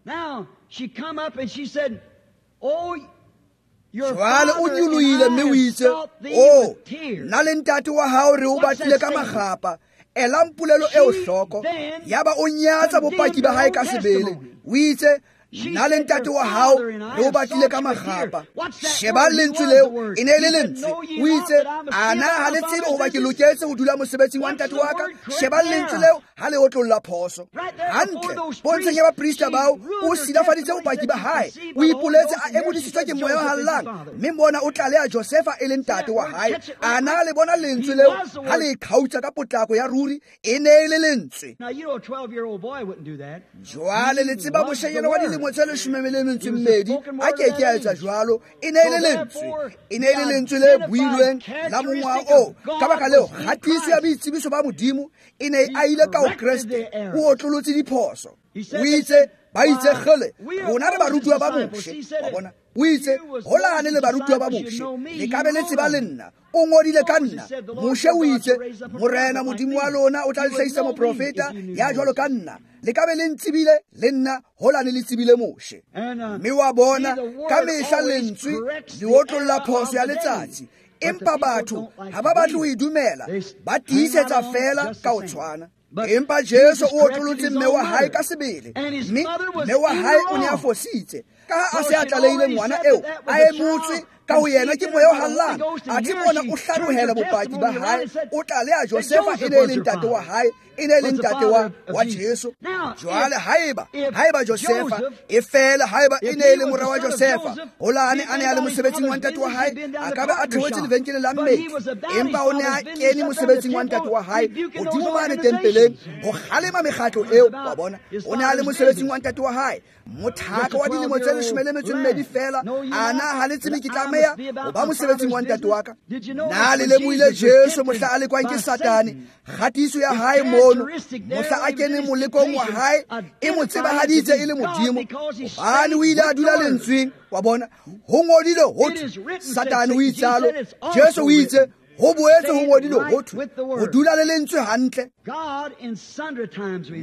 Jwale o nyolohile mme o itse, o nna le ntate wa hao re o batlile ka makgapa. Elang polelo eo hloko. Yaba o nyatsa bopaki ba hae ka sebele. O itse, nna le ntate wa hao re o batlile ka makgapa. Shebang lentswe leo, e ne e le lentswe. O itse, ana ha le tsebe hoba ke loketse ho dula mosebetsing wa ntate wa ka. Shebang lentswe leo ha le otlolla phoso. Hantle, pontsheng ya baprista bao, o silafaditse bopaki ba hae. O ipoletse a emodisitswe ke moya o hallang, mme mona o tlaleha Josefa e le ntate wa hae. Ana le bona lentswe leo ha le khautsa ka potlako ya ruri, e ne e le lentswe. Jwale le tseba moshanyana wa dilemo tse leshome le metso e mmedi a ke ke a etsa jwalo, e ne e le lentswe. E ne e le lentswe le builweng la mongwaha oo. Ka baka leo, kgatiso ya boitsebiso ba Modimo e ne a ile ka ho Kreste, o otlolotse diphoso. O itse, ba itse kgele, rona re barutuwa ba Moshe. Wa bona? O itse, holane le barutuwa ba Moshe, le ka be le tseba le nna. O ngodile ka nna. Moshe o itse, Morena Modimo wa lona o tla le hlahisa moprofeta ya jwalo ka nna. Le ka be le ntsebile le nna, holane le tsebile Moshe. Mme wa bona, ka mehla lentswe le otlolla phoso ya letsatsi, empa batho ha ba batle ho e dumela, ba tiisetsa fela ka ho tshwana. Empa Jesu o otlolotse mme wa hae ka sebele, mme mme wa hae o ne a fositse. Ka ha a se a tlalehile ngwana eo, a emotswe ka ho yena ke moya o hallang, athe mona o hlanohela bopaki ba hae, o tlaleha Josefa e ne e le ntate wa hae, e ne e le ntate wa wa Jesu. Jwale haeba haeba Josefa e fela haeba e ne e le mora wa Josefa, holane a ne a le mosebetsing wa ntate wa hae, a ka ba a theohetse lebenkeleng la mmetli, empa o ne a kene mosebetsing wa ntate wa hae hodimo mane tempeleng ho kgalema mekgatlo eo. Wa bona, o ne a le mosebetsing wa ntate wa hae, mothaka wa dilemo tse leshome le metso e mmedi fela. Ana ha le tsebe ke tlameha ho ba mosebetsing wa ntate wa ka? Na le lemohile Jesu mohla a lekwang ke Satane, kgatiso ya hae mono, mohla a keneng molekong wa hae, e mo tsebahaditse e le Modimo, hobane o ile a dula lentsweng. Wa bona, ho ngodilwe ho thwe, Satane o itsalo, Jesu o itse, ho boetse ho ngodilwe ho thwe, ho dula le lentswe hantle.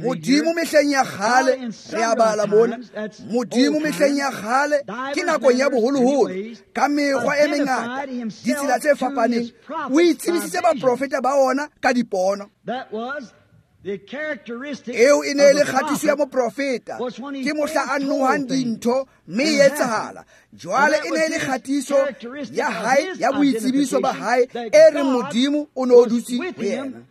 Modimo mehleng ya kgale, re a bala mona, Modimo mehleng ya kgale ke nakong ya boholoholo, ka mekgwa e mengata, ditsela tse fapaneng, o itsebisitse baprofeta ba ona ka dipono. Eo e ne e le kgatiso ya moprofeta, ke mohla a nohang dintho mme e etsahala. Jwale e ne e le kgatiso ya hae ya boitsebiso ba hae e reng Modimo o ne o dutse ho yena.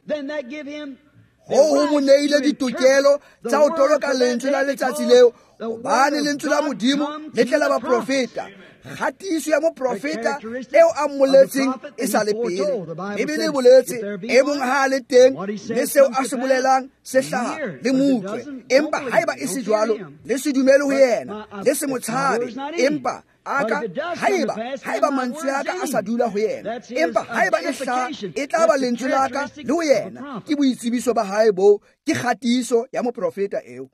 Hoo ho mo neile ditokelo tsa ho toloka lentswe la letsatsi leo, hobane lentswe la Modimo le tle la baprofeta. Kgatiso ya moprofeta eo a mmoletseng e sa le pele. Bibele e boletse, e mong ha a le teng, mme seo a se bolelang se hlaha le mo utlwe. Empa haeba e se jwalo, le se dumele ho yena, le se mo tshabe. Empa aka haeba haeba mantswe a ka a sa dula ho yena, empa haeba e hlaha, e tla ba lentswe la ka le ho yena. Ke boitsebiso ba hae boo, ke kgatiso ya moprofeta eo.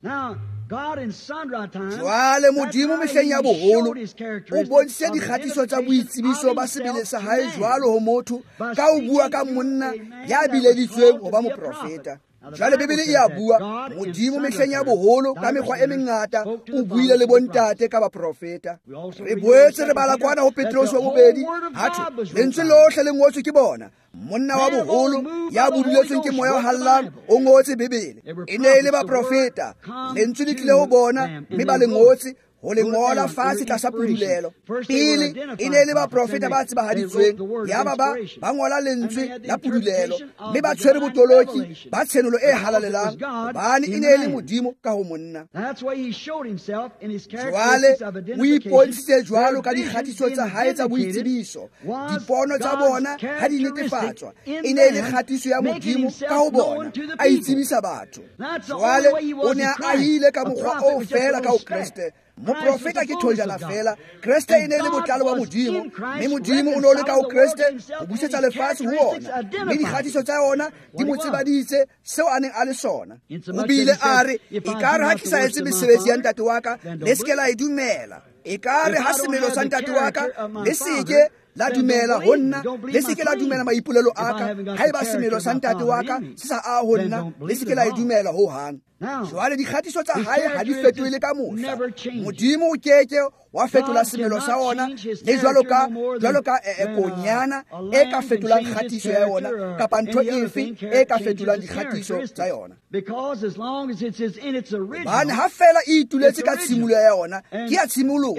Jwale Modimo mehleng ya boholo o bontshitse dikgatiso tsa boitsebiso ba sebele sa hae jwalo ho motho ka ho bua ka monna ya bileditsweng ho ba moprofeta. Jwale Bibele e a bua, Modimo mehleng ya boholo ka mekgwa e mengata o buile le bontate ka baprofeta. Re boetse re bala kwana ho Petrose wa bobedi, ha thwe lentswe lohle le ngotswe ke bona. Monna wa boholo ya buduletsweng ke moya o hallang o ngotse Bibele. E ne e le baprofeta, lentswe le tlile ho bona mme ba le ngotse ho le ngola fatshe tlasa pudulelo. Pele e ne e le baprofeta ba tsebahaditsweng, yaba ba ba ngola lentswe la pudulelo mme ba tshwere botoloki ba tshenolo e halalelang, hobane e ne e le Modimo ka ho monna. Jwale o ipontshitse jwalo ka dikgatiso tsa hae tsa boitsebiso. Dipono tsa bona ha di netefatswa, e ne e le kgatiso ya Modimo ka ho bona, a itsebisa batho. Jwale o ne a ahile ka mokgwa oo feela ka ho Kreste. Moprofeta ke thojana fela, Kreste e ne e le botlalo ba Modimo, mme Modimo o ne o le ka ho Kreste ho busetsa lefatshe ho ona, mme dikgatiso tsa yona di mo tsebaditse seo a neng a le sona. O bile a re, ekare ha ke sa etse mesebetsi ya ntate wa ka, le se ke la e dumela. Ekare ha semelo sa ntate wa ka, le se ke la dumela ho nna, le se ke la dumela maipolelo a ka. Haeba semelo sa ntate wa ka se sa aha ho nna, le se ke la e dumela ho hang. Jwale dikgatiso tsa hae ha di fetohile ka mohla. Modimo o keke wa fetola semelo sa ona, le jwalo ka jwalo ka konyana e ka fetolang kgatiso ya yona, kapa ntho efe e ka fetolang dikgatiso tsa yona. Hobane ha feela e ituletse ka tshimoloho ya yona, ke ya tshimoloho,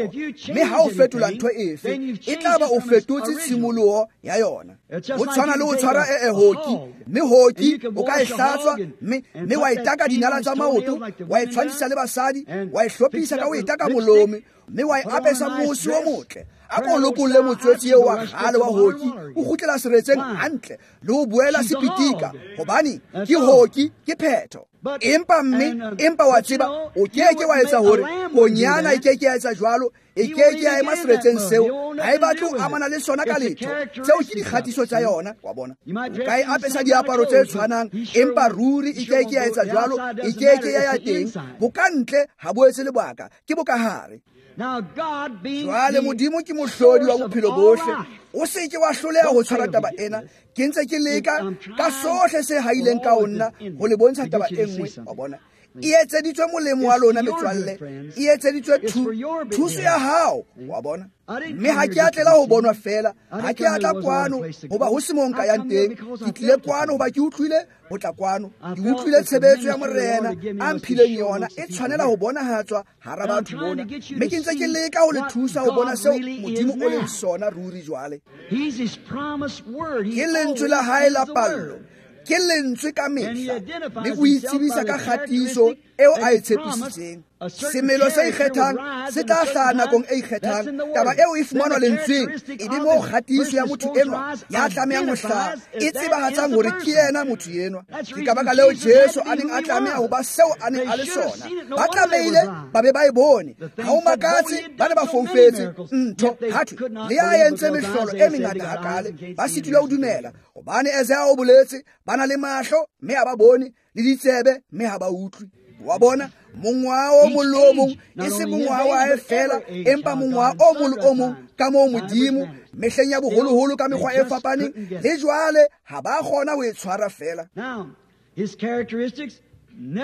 mme ha o fetola ntho efe, e tla ba o fetotse tshimoloho ya yona. Ho tshwana le ho tshwara e hoki, mme hoki o ka e hlatswa, mme mme wa e taka dinala tsa maoto, wa e tshwantshisa le basadi, wa e hlophisa ka ho e taka molome, mme wa e apesa mosi o motle. A ko lokolle motswetsi eo wa kgale wa hoki, o kgutlela seretseng hantle le ho boela sepitika, hobane ke hoki, ke phetho. Empa mme, empa wa tseba, o keke wa etsa hore konyana e keke ya etsa jwalo, e keke ya ema seretseng seo, ha e batle ho amana le sona ka letho. Tseo ke dikgatiso tsa yona, wa bona. O ka e apesa diaparo tse tshwanang, empa ruri e keke ya etsa jwalo, e keke ya ya teng. Bokantle ha bo etse lebaka, ke bokahare. Jwale Modimo ke mohlodi wa bophelo bohle. O se ke wa hloleha ho tshwara taba ena. Ke ntse ke leka ka sohle se haileng ka ho nna ho le bontsha taba e nngwe, wa bona. E etseditswe molemo wa lona metswalle, e etseditswe thuso ya hao, wa bona. Mme ha ke a tlela ho bonwa fela, ha ke a tla kwano hoba ho se moo nka yang teng. Ke tlile kwano hoba ke utlwile ho tla kwano, ke utlwile tshebetso ya Morena a mphileng yona e tshwanela ho bonahatswa hara batho bona. Mme ke ntse ke leka ho le thusa ho bona seo Modimo o leng sona ruri jwale. Ke lentswe la hae la pallo, ke lentswe ka mehla, mme o itsebisa ka kgatiso eo a e tshepisitseng. Semelo se ikgethang se tla hlaha nakong e ikgethang. Taba eo e fumanwa lentsweng, e be moo kgatiso ya motho enwa ya tlamehang ho hlaha e tsebahatsang hore ke yena motho enwa. Ke ka baka leo Jesu a neng a tlameha ho ba seo a neng a le sona. Ba tlamehile ba be ba e bone. Ha ho makatse ba ne ba foufetse ntho. Ha thwe le ya entse mehlolo e mengata hakale, ba sitilwe ho dumela, hobane Isaiah o boletse ba na le mahlo mme ha ba bone, le ditsebe mme ha ba utlwe. Wa bona, mongwaha o mong le o mong, e se mongwaha wa hae fela, empa mongwaha o mong le o mong ka moo Modimo mehleng ya boholoholo ka mekgwa e fapaneng, le jwale ha ba kgona ho e tshwara fela.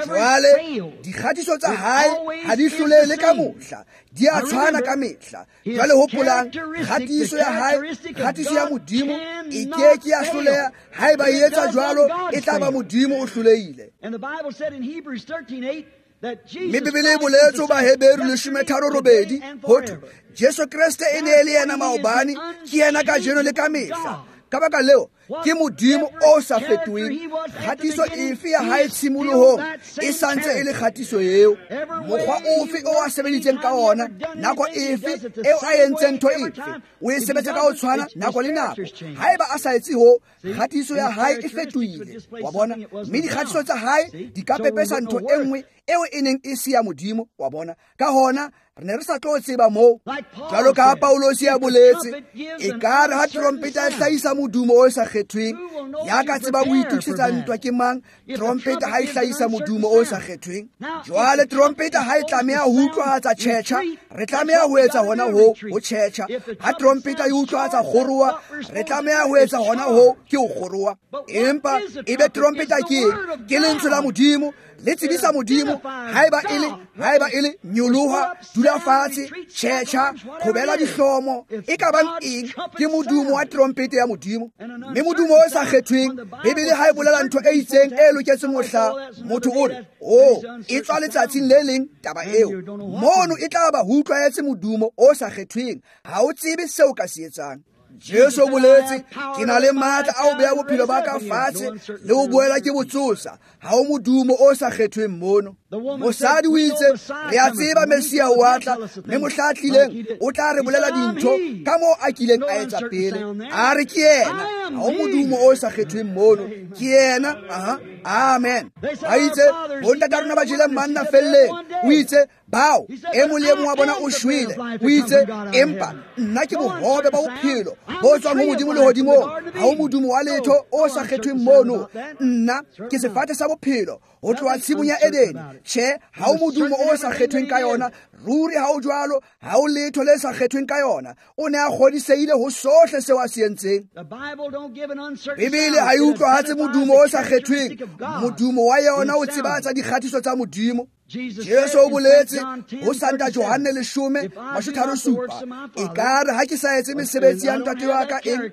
Jwale dikgatiso tsa hae ha di hlolehe le ka mohla, di a tshwana ka mehla. Jwale hopolang, kgatiso ya hae, kgatiso ya Modimo e ke ke ya hloleha. Haeba e etsa jwalo, e tla ba Modimo o hlolehile. Mme Bibele e boletse ho Baheberu leshome tharo robedi ho thwe Jesu Kreste e ne e le yena maobane, ke yena kajeno le ka mehla. Ka baka leo ke Modimo o sa fetoheng. Kgatiso efe ya hae tshimolohong e sa ntse e le kgatiso eo. Mokgwa ofe o a sebeditseng ka ona, nako efe eo a entseng ntho efe, o e sebetsa ka ho tshwana nako le nako. Haeba a sa etse ho, kgatiso ya hae e fetohile. Wa bona? Mme dikgatiso tsa hae di ka pepesa ntho e nngwe eo e neng e se ya Modimo. Wa bona? Ka hona re ne re sa tlo tseba moo. Jwalo ka ha Paulosi a boletse, ekare ha trompeta e hlahisa modumo o sa kgethweng, ya ka tsebang ho itokisetsa ntwa ke mang? Trompeta ha e hlahisa modumo o sa kgethweng. Jwale trompeta ha e tlameha ho utlwahatsa tjhetjha, re tlameha ho etsa hona ho ho tjhetjha. Ha trompeta e utlwahatsa kgoroha, re tlameha ho etsa hona ho ke ho kgoroha. Empa ebe trompeta ke eng? Ke lentswe la Modimo le tsebisa Modimo. Haeba e le haeba e le nyoloha, dula fatshe, tjhetjha, qhobela dihlomo, e ka bang eng, ke modumo wa trompete ya Modimo. Mme modumo o sa kgethweng, Bibele ha e bolela ntho e itseng e loketseng ho hlaha, motho o re, "Oh, e tswa letsatsing le leng taba eo." Mono e tla ba ho utlwahetse modumo o sa kgethweng, ha o tsebe seo ka se etsang. Jesu o boletse, ke na le matla a ho beha bophelo ba ka fatshe le ho boela ke bo tsosa. Ha ho modumo o sa kgethweng mono. Mosadi o itse, re a tseba Messia o a tla, mme mohla a tlileng o tla re bolela dintho ka moo a kileng a etsa pele. A re ke yena. Ha ho modumo o sa kgethweng mono. Ke yena. Aha. Amen. A itse, bontata rona ba jele manna felleng. O itse, bao e mong le e mong wa bona o shwele. O itse, empa nna ke bohobe ba bophelo bo tswang ho Modimo lehodimong. Ha ho modumo wa letho o sa kgethweng mono. Nna ke sefate sa bophelo ho tloha tshimong ya Edene. Tjhe, ha ho modumo o sa kgethweng ka yona. Ruri ha ho jwalo, ha ho letho le sa kgethweng ka yona. O ne a kgodisehile ho sohle seo a se entseng. Bibele ha e utlwahatse modumo o sa kgethweng. Modumo wa yona o tsebatsa dikgatiso tsa Modimo. Jesu o boletse ho Santa Johanne leshome mashome tharo supa, ekare ha ke sa etse mesebetsi ya ntate wa ka eng,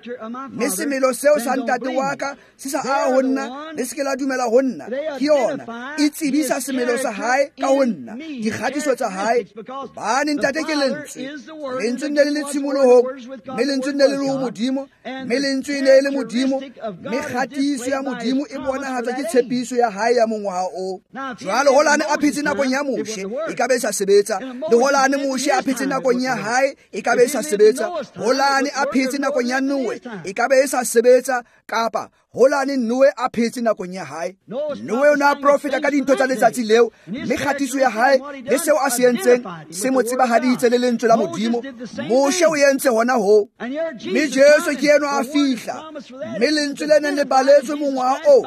mme semelo seo sa ntate wa ka se sa aha ho nna, le se ke la dumela ho nna. Ke yona e tsebisa semelo sa hae ka ho nna, dikgatiso tsa hae. Hobane ntate ke lentswe, lentswe ne le le tshimolohong, mme lentswe ne le le ho Modimo, mme lentswe ne le Modimo, mme kgatiso ya Modimo e bonahatswa ke tshepiso ya hae ya mongwaha oo. Jwale holane a phetse nakong ya Moshe, e ka be e sa sebetsa. Le holane Moshe a phetse nakong ya hae, e ka be e sa sebetsa. Holane a phetse nakong ya Noe, e ka be e sa sebetsa. Kapa holane Noe a phetse nakong ya hae. Noe o ne a profeta ka dintho tsa letsatsi leo, mme kgatiso ya hae le seo a se entseng se mo tsebahaditse le lentswe la Modimo. Moshe o entse hona ho, mme Jesu ke enwa a fihla, mme lentswe le neng le baletswe mongwaha oo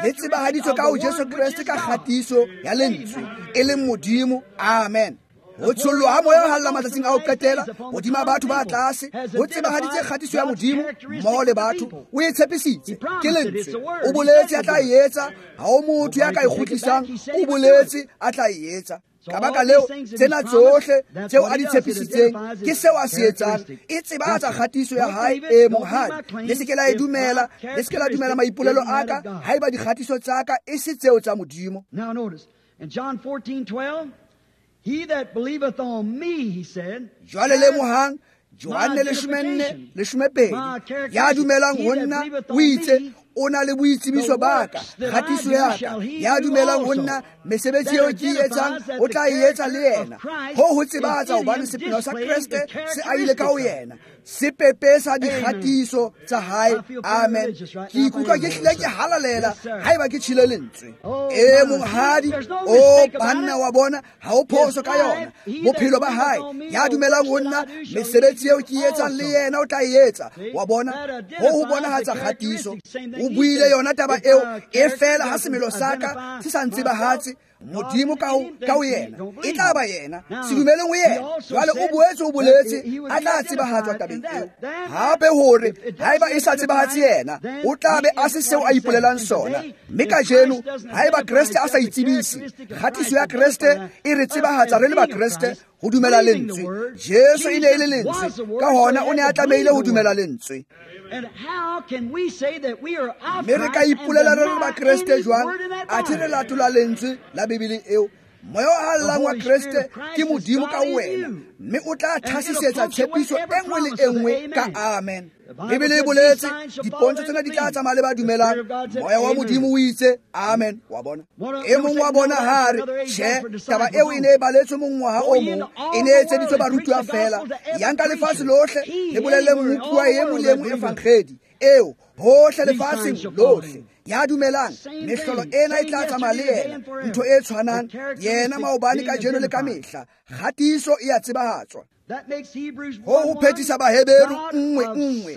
le tsebahaditswe ka ho Jesu Kreste ka kgatiso ya lentswe e leng Modimo. Amen. Ho tshollwa ha moya o halalelang matsatsing a ho qetela hodima batho ba tlase ho tsebahaditse kgatiso ya Modimo mmoho le batho. O e tshepisitse, ke lentswe. O boletse a tla e etsa. Ha ho motho ya ka e kgutlisang. O boletse a tla e etsa. Ka baka leo, tsena tsohle tseo a di tshepisitseng ke seo a se etsang. E tsebahatsa kgatiso ya hae. E monghadi, le se ke la e dumela, le se ke la dumela maipolelo a ka haeba dikgatiso tsa ka e se tseo tsa Modimo. Now notice, in John fourteen twelve, he that believeth on me, he said, Jwale lemohang, Johanne leshome nne leshome pedi, ya dumelang ho nna o itse o na le boitsebiso ba ka, kgatiso ya ka. Ya dumelang ho nna, mesebetsi eo ke e etsang o tla e etsa le yena. Ho ho tsebahatsa hobane sepheo sa Kreste se ahile ka ho yena, se pepesa dikgatiso tsa hae. Amen. Ke ikutlwa ke hlile ke halalela haeba ke tjhile lentswe. E monghadi, o banna wa bona, ha ho phoso ka yona. Bophelo ba hae, ya dumelang ho nna, mesebetsi eo ke e etsang le yena o tla e etsa. Wa bona, ho ho bonahatsa kgatiso. O buile yona taba eo, e fela ha semelo sa ka se sa ntsebahatse. Modimo ka ho yena e tla ba yena se dumeleng ho yena. Jwale o boetse o boletse a tla tsebahatswa tabeng eo. Hape hore haeba e sa tsebahatse yena, o tla be a se seo a ipolelang sona. Mme kajeno haeba Kreste a sa itsebise, kgatiso ya Kreste e re tsebahatsa re le Bakreste ho dumela lentswe. Jesu e ne e le lentswe, ka hona o ne a tlamehile ho dumela lentswe. Mme re ka ipolela re le Bakreste jwang athe re latola lentswe la Bibele eo? Moya o hallang wa Kreste ke Modimo ka wena, mme o tla thasisetsa tshepiso e nngwe le e nngwe ka amen. Bibele e boletse dipontsho tsena di tla tsamaya le ba dumelang. Moya wa Modimo o itse amen. Wa bona, e mong wa bona ha re tjhe, taba eo e ne e baletswe mongwaha o mong, e ne e etseditswe barutuwa fela. Yang ka lefatshe lohle le bolelle mmupuwa e mong le e mong evangedi eo hohle lefatsheng lohle. Ya dumelang mehlolo ena e tla tsamaya le yena, ntho e tshwanang yena maobane, kajeno le ka mehla. Kgatiso e a tsebahatswa. Ho ho phethisa Baheberu nngwe nngwe.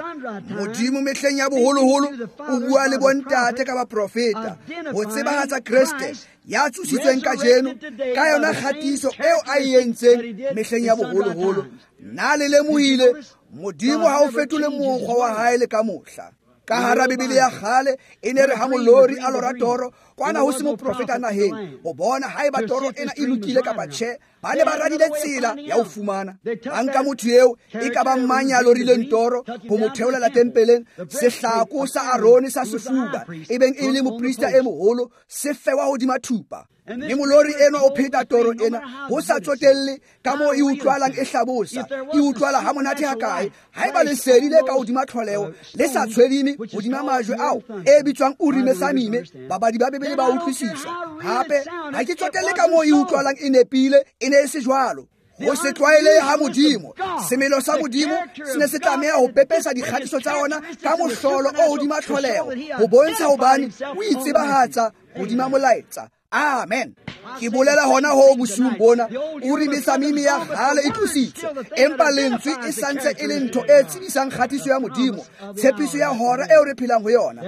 Modimo mehleng ya boholoholo o bua le bontate ka baprofeta ho tsebahatsa Kreste ya tsositsweng kajeno ka yona kgatiso eo a e entseng mehleng ya boholoholo. Na le lemohile Modimo ha o fetole mokgwa wa hae le ka mohla. Ka hara Bibele ya kgale e ne re ha molori a lora toro kwana ho se moprofeta naheng ho bona haeba toro ena e lokile kapa tjhe, ba ne ba radile tsela ya ho fumana. Ba nka motho eo e ka bang mang ya lorileng toro ho mo theolela tempeleng, sehlako sa Arone sa sefuba e beng e le moprista e moholo se fewa hodima thupa. Mme molori enwa o pheta toro ena ho sa tsotelle ka moo e utlwalang e hlabosa, e utlwala ha monate hakae. Haeba lesedi le ka hodima tlholeho le sa tshwedime hodima majwe ao e bitswang Urime Samime, babadi ba Bibele ba utlwisisa. Hape ha ke tsotelle ka moo e utlwalang e nepile, e ne e se jwalo. Ho se tlwaele ha Modimo, semelo sa Modimo se ne se tlameha ho pepesa dikgatiso tsa ona ka mohlolo o hodima tlholeho ho bontsha hobane o itsebahatsa hodima molaetsa. Amen. Ke bolela hona ho bosiung bona, Urime Samime ya kgale e tlositswe, empa lentswe e santse e le ntho e tsebisang kgatiso ya Modimo, tshepiso ya hora eo re phelang ho yona.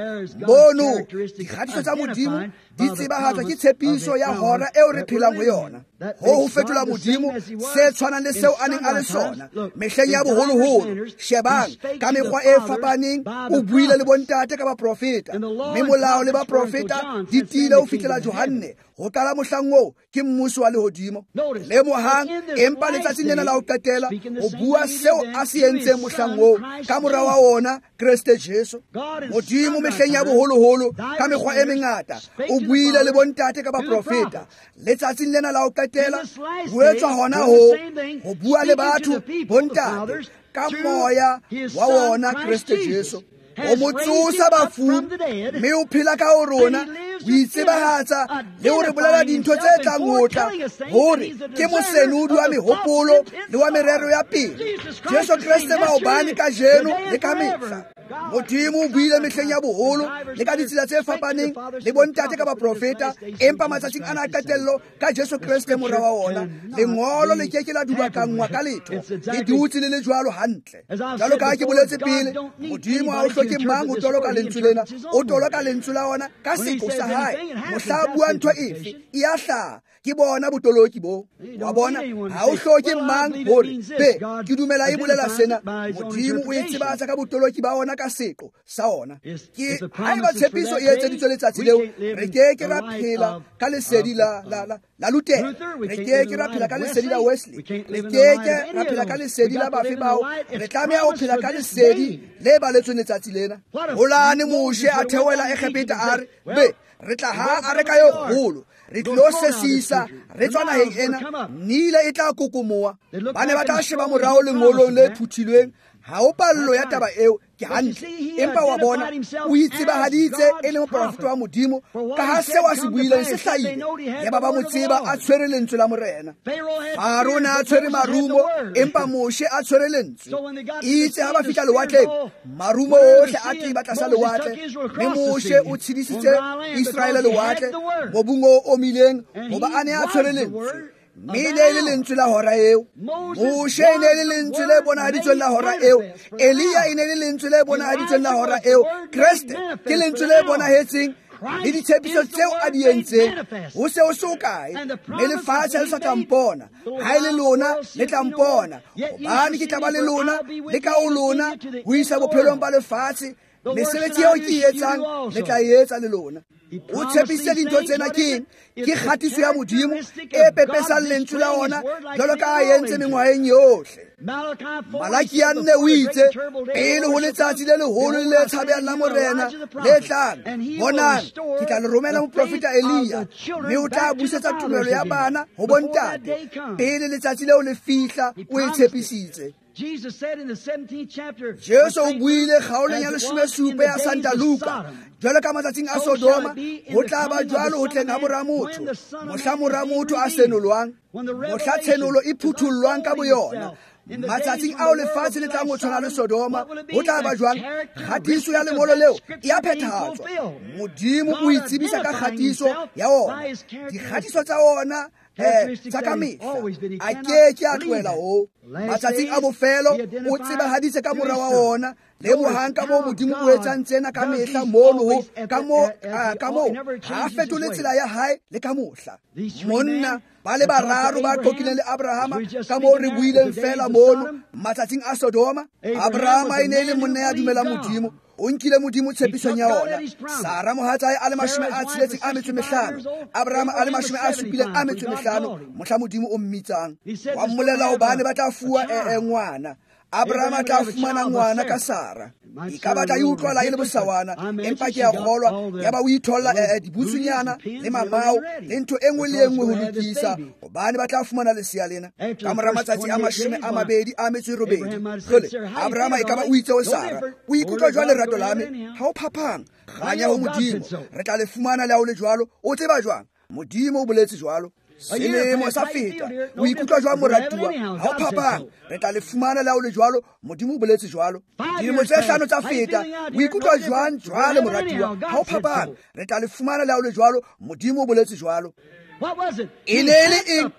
Mono dikgatiso tsa Modimo di tsebahatswa ke tshepiso ya hora eo re phelang ho yona. Ho ho fetola Modimo se tshwanang le seo a neng a le sona mehleng ya boholoholo. Shebang ka mekgwa e fapaneng o buile le bontate ka baprofeta, mme molao le baprofeta di tiile ho fihlela Johanne. Ho qala mohlang oo ke mmuso wa lehodimo. Lemohang, empa letsatsing lena la ho qetela ho bua seo a se entseng mohlang oo ka mora wa ona Kreste Jesu. Modimo mehleng ya boholoholo ka mekgwa e mengata o buile le bontate ka baprofeta. Letsatsing lena la ho qetela ho etswa hona ho ho bua le batho bontate ka moya wa wona Kreste Jesu. O mo tsosa bafung mme o phela ka ho rona, o itsebahatsa le ho re bolela dintho tse tlang ho tla, hore ke mosenodi wa mehopolo le wa merero ya pele. Jesu Kreste maobane, kajeno le ka mehla. Modimo o buile mehleng ya boholo le ka ditsela tse fapaneng le bontate ka baprofeta, empa matsatsing ana a qetello ka Jesu Kreste mora wa ona. Lengolo le ke ke la dubakanngwa ka letho, le dutse le le jwalo hantle. Jwalo ka ha ke boletse pele, Modimo ha o hloke mang ho toloka lentswe lena, o toloka lentswe la ona ka seko sa hae. Mohla a bua ntho efe e a hlaha, ke bona botoloki bo. Wa bona, ha o hloke mang hore be ke dumela e bolela sena. Modimo o e tsebatsa ka botoloki ba ona ka seqo sa ona. Ke haeba tshepiso e etseditswe letsatsi leo, re ke ke ra phela ka lesedi la la la la Luther, re ke ke ra phela ka lesedi la Wesley, re ke ke ra phela ka lesedi la bafe bao. Re tlameha ho phela ka lesedi le baletsweng letsatsi lena. Holane Moshe a theohela Egepeta a re be re tla ha areka e kgolo, re tlo sesisa re tswa naheng ena, Nile e tla kokomoa. Ba ne ba tla sheba morao lengolong le phuthilweng. Ha ho pallo ya taba eo, ke hantle. Empa wa bona o itsebahaditse e le moprofeta wa Modimo, ka ha seo a se buileng se hlahile. Yaba ba mo tseba a tshwere lentswe la Morena. Faro ne a tshwere marumo, empa Moshe a tshwere lentswe. Itse ha ba fihla lewatleng, marumo ohle a teba tlasa lewatle, mme Moshe o tshedisitse Israele lewatle mobung o omileng, hoba a ne a tshwere lentswe. Mme e ne e le lentswe la hora eo. Moshe e ne e le lentswe le bonahaditsweng la hora eo. Elia e ne e le lentswe le bonahaditsweng la hora eo. Kreste ke lentswe le bonahetseng Le ditshepiso tseo a di entseng ho se ho se hokae, mme lefatshe le sa tla mpona. Ha e le lona le tla mpona, hobane ke tla ba le lona le ka ho lona ho isa bophelong ba lefatshe. Mesebetsi eo ke e etsang le tla e etsa le lona. O tshepisitse dintho tsena ke eng? Ke kgatiso ya Modimo e pepesang lentswe la ona jwalo ka a entse mengwaheng yohle. Malaki a nne o itse, pele ho letsatsi le leholo le tshabehang la Morena le tlang, bonang, ke tla le romela moprofeta Elia, mme o tla busetsa tumelo ya bana ho bontate. Pele letsatsi leo le fihla, o e tshepisitse. Jesu o buile kgaolong ya leshome supa ya Santa Luka, jwalo ka matsatsing a Sodoma, ho tla ba jwalo ho tleng ha mora motho, mohla mora motho a senolwang, mohla tshenolo e phuthullwang ka boyona. Matsatsing ao lefatshe le tlang ho tshwana le Sodoma, ho tla ba jwang? Kgatiso ya lengolo leo e a phethahatswa. Modimo o itsebisa ka kgatiso ya ona. Dikgatiso tsa ona eh tsa ka mehla a ke ke a tlohela ho. Matsatsing a bofelo o tsebahaditse ka mora wa ona. Lemohang ka moo Modimo o etsang tsena ka mehla mono ho ka moo ka moo ha fetole tsela ya hae le ka mohla. Monna ba le bararo ba qoqileng le Abrahama ka moo re buileng fela mono matsatsing a Sodoma. Abrahama e ne e le monna ya dumelang Modimo. O nkile Modimo tshepisong ya ona. Sara mohatsae a le mashome a tsheletseng a metso e mehlano, Abrahama a le mashome a supileng a metso e mehlano mohla Modimo o mmitsang. Wa mmolela hobane ba tla fuwa e ngwana. Abrahama a tla fumana ngwana ka Sara. E ka batla e utlwala e le bosawana, empa ke a kgolwa ya ba o itholla dibutsunyana le mamao le ntho e nngwe le e nngwe ho lokisa, hobane ba tla fumana lesea lena. Ka mora matsatsi a mashome a mabedi a metso e robedi, jwale Abrahama e ka ba o itse ho Sara, o ikutlwa jwang lerato la me? Ha o phapang, kganya ho Modimo, re tla le fumana le ha o le jwalo. O tseba jwang? Modimo o boletse jwalo. Selemo sa feta, o ikutlwa jwang moratuwa? Ha o phapang, re tla le fumana le ha o le jwalo. Modimo o boletse jwalo. Dilemo tse hlano tsa feta, o ikutlwa jwang jwale moratuwa? Ha o phapang, re tla le fumana le ha o le jwalo. Modimo o boletse jwalo. E ne e le eng?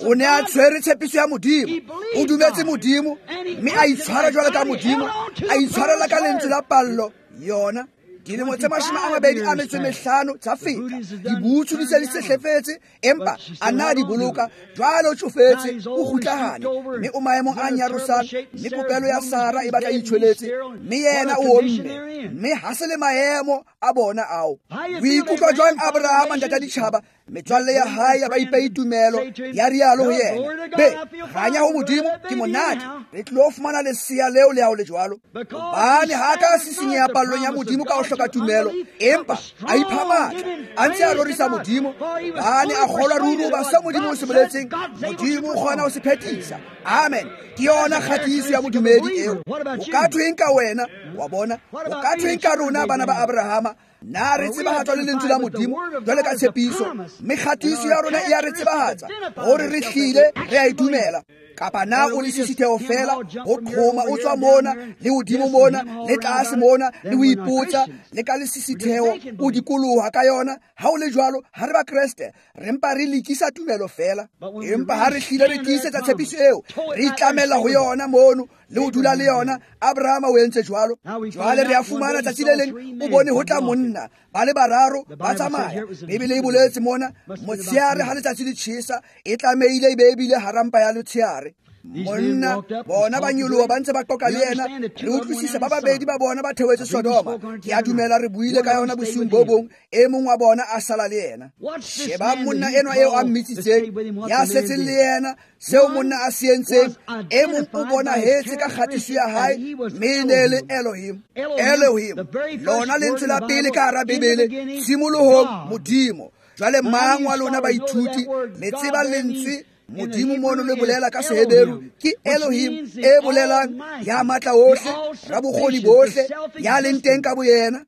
O ne a tshwere tshepiso ya Modimo. O dumetse Modimo, mme a itshwara jwalo ka Modimo, a itshwarela ka lentswe la pallo yona. Dilemo tse mashome a mabedi a metso e mehlano tsa feta, dibutsu di se di sehlefetse, empa a na di boloka. Jwale o tsofetse, o kgutlahane, mme o maemong a nyarosang, mme popelo ya Sara e batla e itshweletse, mme yena o omme, mme ha se le maemo a bona ao. O ikutlwa jwang Abrahama ntata ditjhaba? Metswalle ya hae ya ba ipehi tumelo, ya rialo ho yena. Be, kganya ho Modimo ke monate, re tlilo fumana lesea leo le ha o le jwalo. Hobane ha ka sisinyeha pallong ya Modimo ka ho hloka tumelo, empa a ipha matla, a ntse a rorisa Modimo, hobane a kgolwa ruri hoba seo Modimo o se boletseng, Modimo o kgona ho se phethisa. Amen. Ke yona kgatiso ya modumedi eo. O ka thweng ka wena? Wa bona? O ka thweng ka rona bana ba Abrahama? Na re tsebahatswa le lentswe la Modimo jwale ka tshepiso, mme kgatiso ya rona e a re tsebahatsa hore re hlile re a e dumela. Kapa na o le sisitheo fela ho qhoma o tswa mona le hodimo mona le tlase mona le ho ipotsa le ka lesisitheo o dikoloha ka yona? Ha o le jwalo, ha re ba Kreste, re mpa re lekisa tumelo fela. Empa ha re hlile re tiisetsa tshepiso eo, re itlamela ho yona mono le ho dula le yona. Abrahama o entse jwalo. Jwale re a fumana tsatsi le leng o bone ho tla monna ba le bararo ba tsamaya. Bibele e boletse mona, motsheare ha letsatsi le tjhesa, e tlamehile e be ebile hara mpa ya letsheare. Monna bona ba nyoloha ba ntse ba qoqa le yena. Re utlwisisa ba babedi ba bona ba theohetse Sodoma. Ke a dumela re buile ka yona bosiung bo bong. E mong wa bona a sala le yena. Sheba monna enwa eo a mmitsitseng, ya setseng le yena, seo monna a se entseng. E mong o bonahetse ka kgatiso ya hae, mme e ne le Elohim. Elohim, lona lentswe la pele ka hara Bibele, tshimolohong Modimo. Jwale mang wa lona baithuti le tseba lentswe Modimo mono le bolela ka Seheberu ke Elohim, e bolelang ya matla ohle, rabokgoni bohle, ya leng teng ka boyena.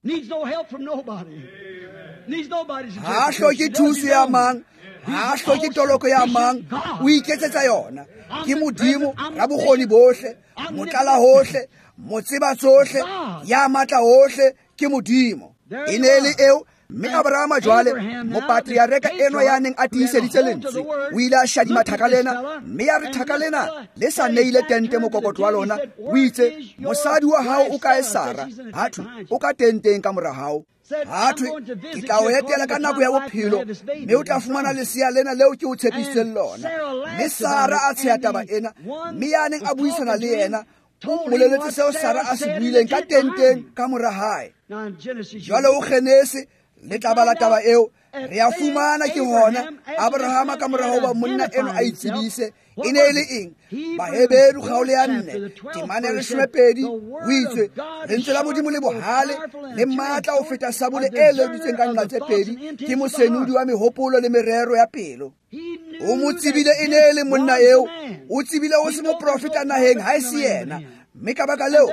Ha hloke thuso ya mang, ha hloke toloko ya mang, o iketsetsa yona. Ke Modimo rabokgoni bohle, motlala hohle, motseba tsohle, ya matla ohle, ke Modimo. E ne le eo Mme Abrahama jwale mopatriareka enwa ya neng a tiiseditse lentswe o ile a shadima thaka lena, mme ya re thaka lena le sa neile tente mokokotlo wa lona. O itse, mosadi wa hao o kae Sara? Ha thwe, o ka tenteng ka mora hao. Ha thwe, ke tla o etela ka nako ya bophelo, mme o tla fumana lesea lena leo ke o tshepisitseng lona. Mme Sara a tsheha taba ena, mme ya neng a buisana le yena o mmoleletse seo Sara a se buileng ka tenteng ka mora hae. Jwale o Genese le tla bala taba eo, re a fumana ke hona Abrahama ka mora hoba monna eno a itsebise e ne e le eng. Baheberu kgaolo ya nne temana ya leshomepedi o itse, lentswe la Modimo le bohale le matla ho feta sabole e leoditsweng ka nqa tse pedi, ke mosenodi wa mehopolo le merero ya pelo. O mo tsebile e ne e le monna eo, o tsebile ho se moprofeta naheng ha e se yena. Mme ka baka leo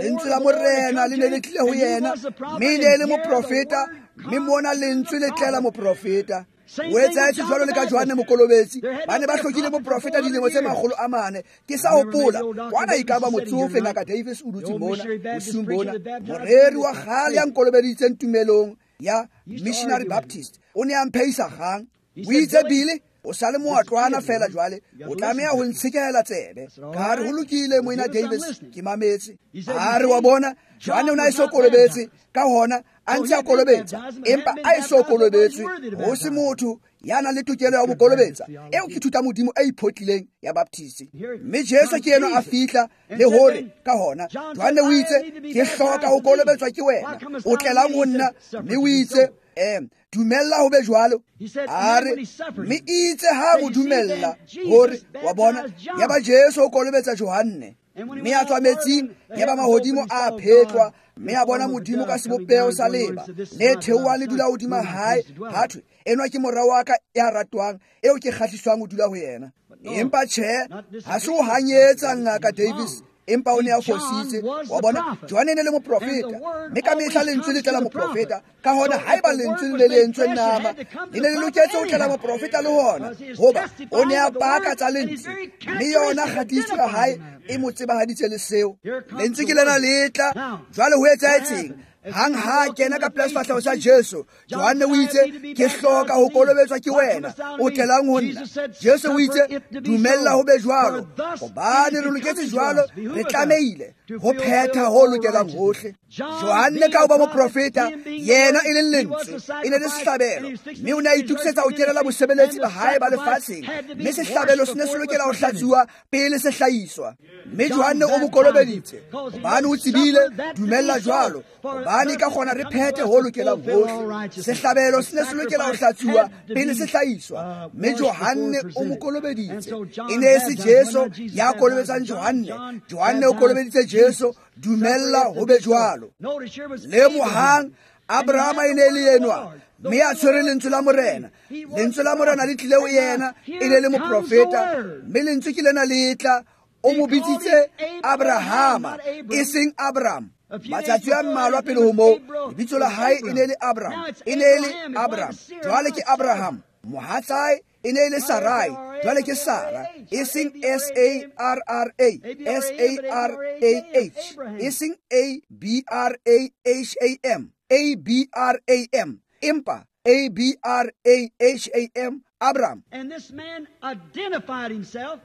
lentswe la Morena le ne le tlile ho yena, mme e ne e le moprofeta, mme mona lentswe le tlela moprofeta. O etsahetse jwalo le ka Johanne Mokolobetsi, ba ne ba hlokile moprofeta dilemo tse makgolo a mane. Ke sa hopola kwana e ka ba motsofe Ngaka Davis o dutse mona bosiung bona, moreri wa kgale ya nkolobeditseng tumelong ya Missionary Baptist, o ne a mpheisa kgang. O itse, Billy, o sa le moatlwana fela jwale, o tlameha ho ntshekehela tsebe. Ka re, ho lokile moena Davis, ke mametse. A re, wa bona, Johanne o ne a eso kolobetse, ka hona a ntse a kolobetsa, empa a eso kolobetswe, ho se motho ya nang le tokelo ya ho mo kolobetsa. Eo ke thuta Modimo e iphotlileng ya Baptist. Mme Jesu ke enwa a fihla le hore ka hona Johanne o itse, ke hloka ho kolobetswa ke wena, o tlelang ho nna? Mme o itse, em dumella ho be jwalo. A re, mme itse ha mo dumella hore wa bona, ya ba Jesu o kolobetsa Johanne, mme a tswa metsing, ya ba mahodimo a phetlwa, mme a bona Modimo ka sebopeho sa leba le theoha le dula hodima hae. Ha thwe, enwa ke mora wa ka ya ratwang, eo ke kgahliswang ho dula ho yena. Empa tjhe, ha se ho hanyetsa Ngaka Davis, empa o ne a fositse. Wa bona, Johanne e ne le moprofeta, mme ka mehla lentswe le tlela moprofeta. Ka hona haeba lentswe le le entswe nama, le ne le loketse ho tlela moprofeta le hona, hoba o ne a paka tsa lentswe, mme yona kgatiso ya hae e mo tsebahaditse le seo. Lentswe ke lena le tla. Jwale ho etsahetseng? Hang ha kena ka pela sefahleho sa Jesu, Johanne o itse, ke hloka ho kolobetswa ke wena, o tlelang ho nna? Jesu o itse, dumella ho be jwalo, hobane re loketse jwalo, re tlamehile ho phetha ho lokelang hohle. Johanne ka ho ba moprofeta, yena e leng lentswe, e ne le sehlabelo, mme o ne a itokisetsa ho kenela bosebeletsi ba hae ba lefatsheng, mme sehlabelo se ne se lokela ho hlatsuwa pele se hlahiswa. Mme Johanne o mo kolobeditse, hobane o tsebile, dumella jwalo, hobane ka kgona re phethe ho lokelang hohle. Sehlabelo se ne se lokela ho hlatsuwa pele se hlahiswa, mme Johanne o mo kolobeditse. E ne e se Jesu ya kolobetsang Johanne, Johanne o kolobeditse Jesu. Dumella ho be jwalo. Lemohang, Abrahama e ne e le enwa, mme a tshwere lentswe la Morena. Lentswe la Morena le tlile ho yena, e ne le moprofeta, mme lentswe ke lena le tla. O mo bitsitse Abrahama, e seng Abraham. Matsatsi a mmalwa pele ho moo, lebitso la hae e ne le Abraham, e ne e le Abraham, jwale ke Abraham. Mohatsae e ne e le Sarai, jwale ke Sara, e seng S A R R A, S A R A H, e seng A B R A H A M, A B R A M, empa A B R A H A M, Abraham. And this man identified himself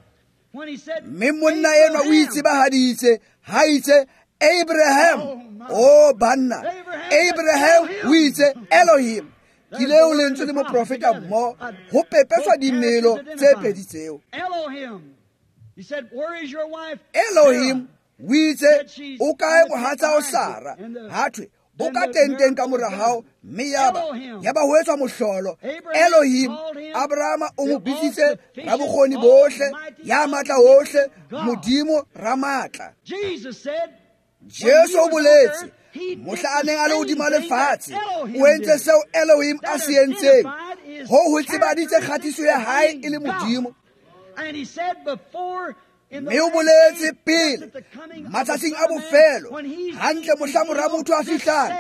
when he said, Mme monna enwa o itsebahaditse ha itse Abraham. Oh banna, Abraham o itse Elohim. Ke leo lentswe le moprofeta mmoho ho pepeswa dimelo tse pedi tseo. He said, where is your wife? Elohim o itse, o kae mohatsa o Sara? Ha thwe, o ka tenteng ka mora hao, mme yaba yaba ho etswa mohlolo. Elohim, Abrahama o mo bitsitse rabokgoni bohle, ya matla hohle, Modimo ramatla. Jesus said, Jesu o boletse mohla a neng a le hodima lefatshe, o entse seo Elohim a se entseng. Ho ho tsebaditse kgatiso ya hae e le Modimo. And he said before Mme o boletse pele matsatsing a bofelo, hantle mohla mora motho a fihlang,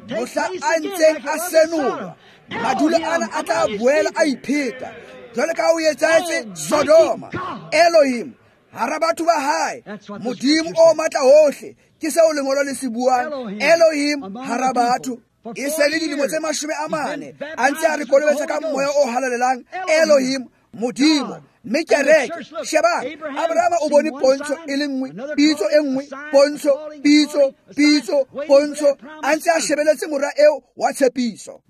mohla a ntseng a senolwa, madulo ana a tla boela a ipheta jwale ka o etsahetse Sodoma. Elohim hara batho ba hae, Modimo o matla hohle, ke seo lengolo le se buang. Elohim hara batho. E se le dilemo tse mashome a mane a ntse a re kolobetsa ka moya o halalelang, Elohim, Modimo. Mme kereke, shebang, Abrahama o bone pontsho e le nngwe, pitso e nngwe, pontsho, pitso, pitso, pontsho, a ntse a shebeletse mora eo wa tshepiso.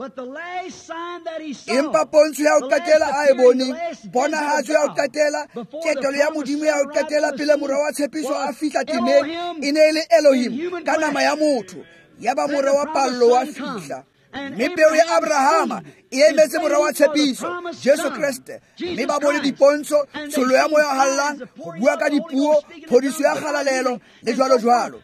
Empa pontsho ya ho qetela a e boneng, ponahatso ya ho qetela, ketelo ya Modimo ya ho qetela pele mora wa tshepiso a fihla temeng, e ne e le Elohim ka nama ya motho. Yaba mora wa pallo wa fihla. Mme peo ya Abrahama e emetse mora wa tshepiso, Jesu Kreste. Mme ba bone dipontsho, tshollo ya moya o hallang, ho bua ka dipuo, phodiso ya kgalalelo le jwalo jwalo.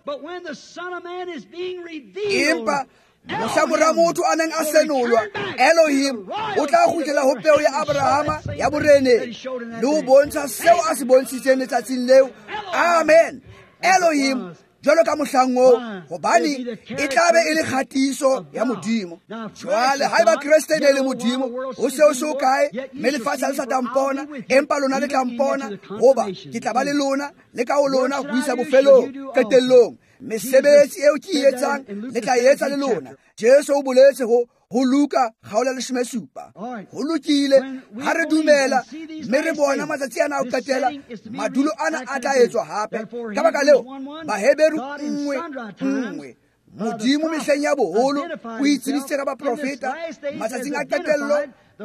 Empa mohla mora motho a neng a senolwa, Elohim o tla kgutlela ho peo ya Abrahama ya boreneng le ho bontsha seo a se bontshitseng letsatsing leo. Amen. Elohim jwalo ka mohlang oo, hobane e tla be e le kgatiso ya Modimo. Jwale haeba Kreste e ne le Modimo, ho se ho se ho kae, mme lefatshe ha le sa tla mpona, empa lona le tla mpona, hoba ke tla ba le lona, le ka ho lona ho isa bofelong, qetellong. Mesebetsi eo ke e etsang, le tla e etsa le lona. Jesu o boletse ho ho Luka kgaolo ya leshome supa. Ho lokile ha re dumela mme re bona matsatsi ana a ho qetela, madulo ana a tla etswa hape. Ka baka leo, Baheberu nngwe nngwe, Modimo mehleng ya boholo o itsebisitse ka baprofeta, matsatsing a qetello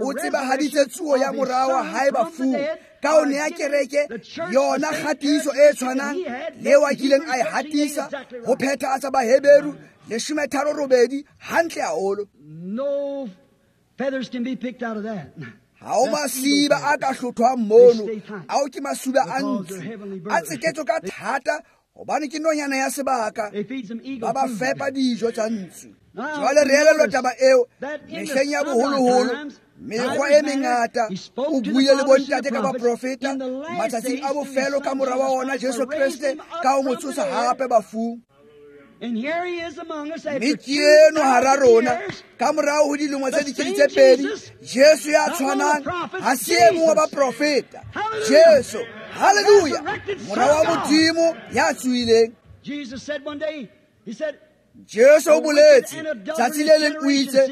o tsebahaditse tsuo ya mora wa hae bafung, ka ho nea kereke yona kgatiso e tshwanang le eo a kileng a e hatisa ho phethahatsa Baheberu leshome tharo robedi hantle haholo. No feathers can be picked out of that. Ha o masiba a ka hlothwang mono, ao ke masuba a ntsu, a tseketswe ka thata hobane ke nonyana ya sebaka, ba ba fepa dijo tsa ntsu. Jwale re elellwa taba eo mehleng ya boholoholo, mekgwa e mengata o buile le bontate ka baprofeta, matsatsing a bofelo ka mora wa ona Jesu Kreste ka ho mo tsosa hape bafung. Mme ke eno hara rona ka morao ho dilemo tse dikete tse pedi, Jesu ya tshwanang ha se e mong wa baprofeta. Jesu, haleluya, mora wa Modimo ya tsohileng. Jesu o boletse tsatsi le leng o itse,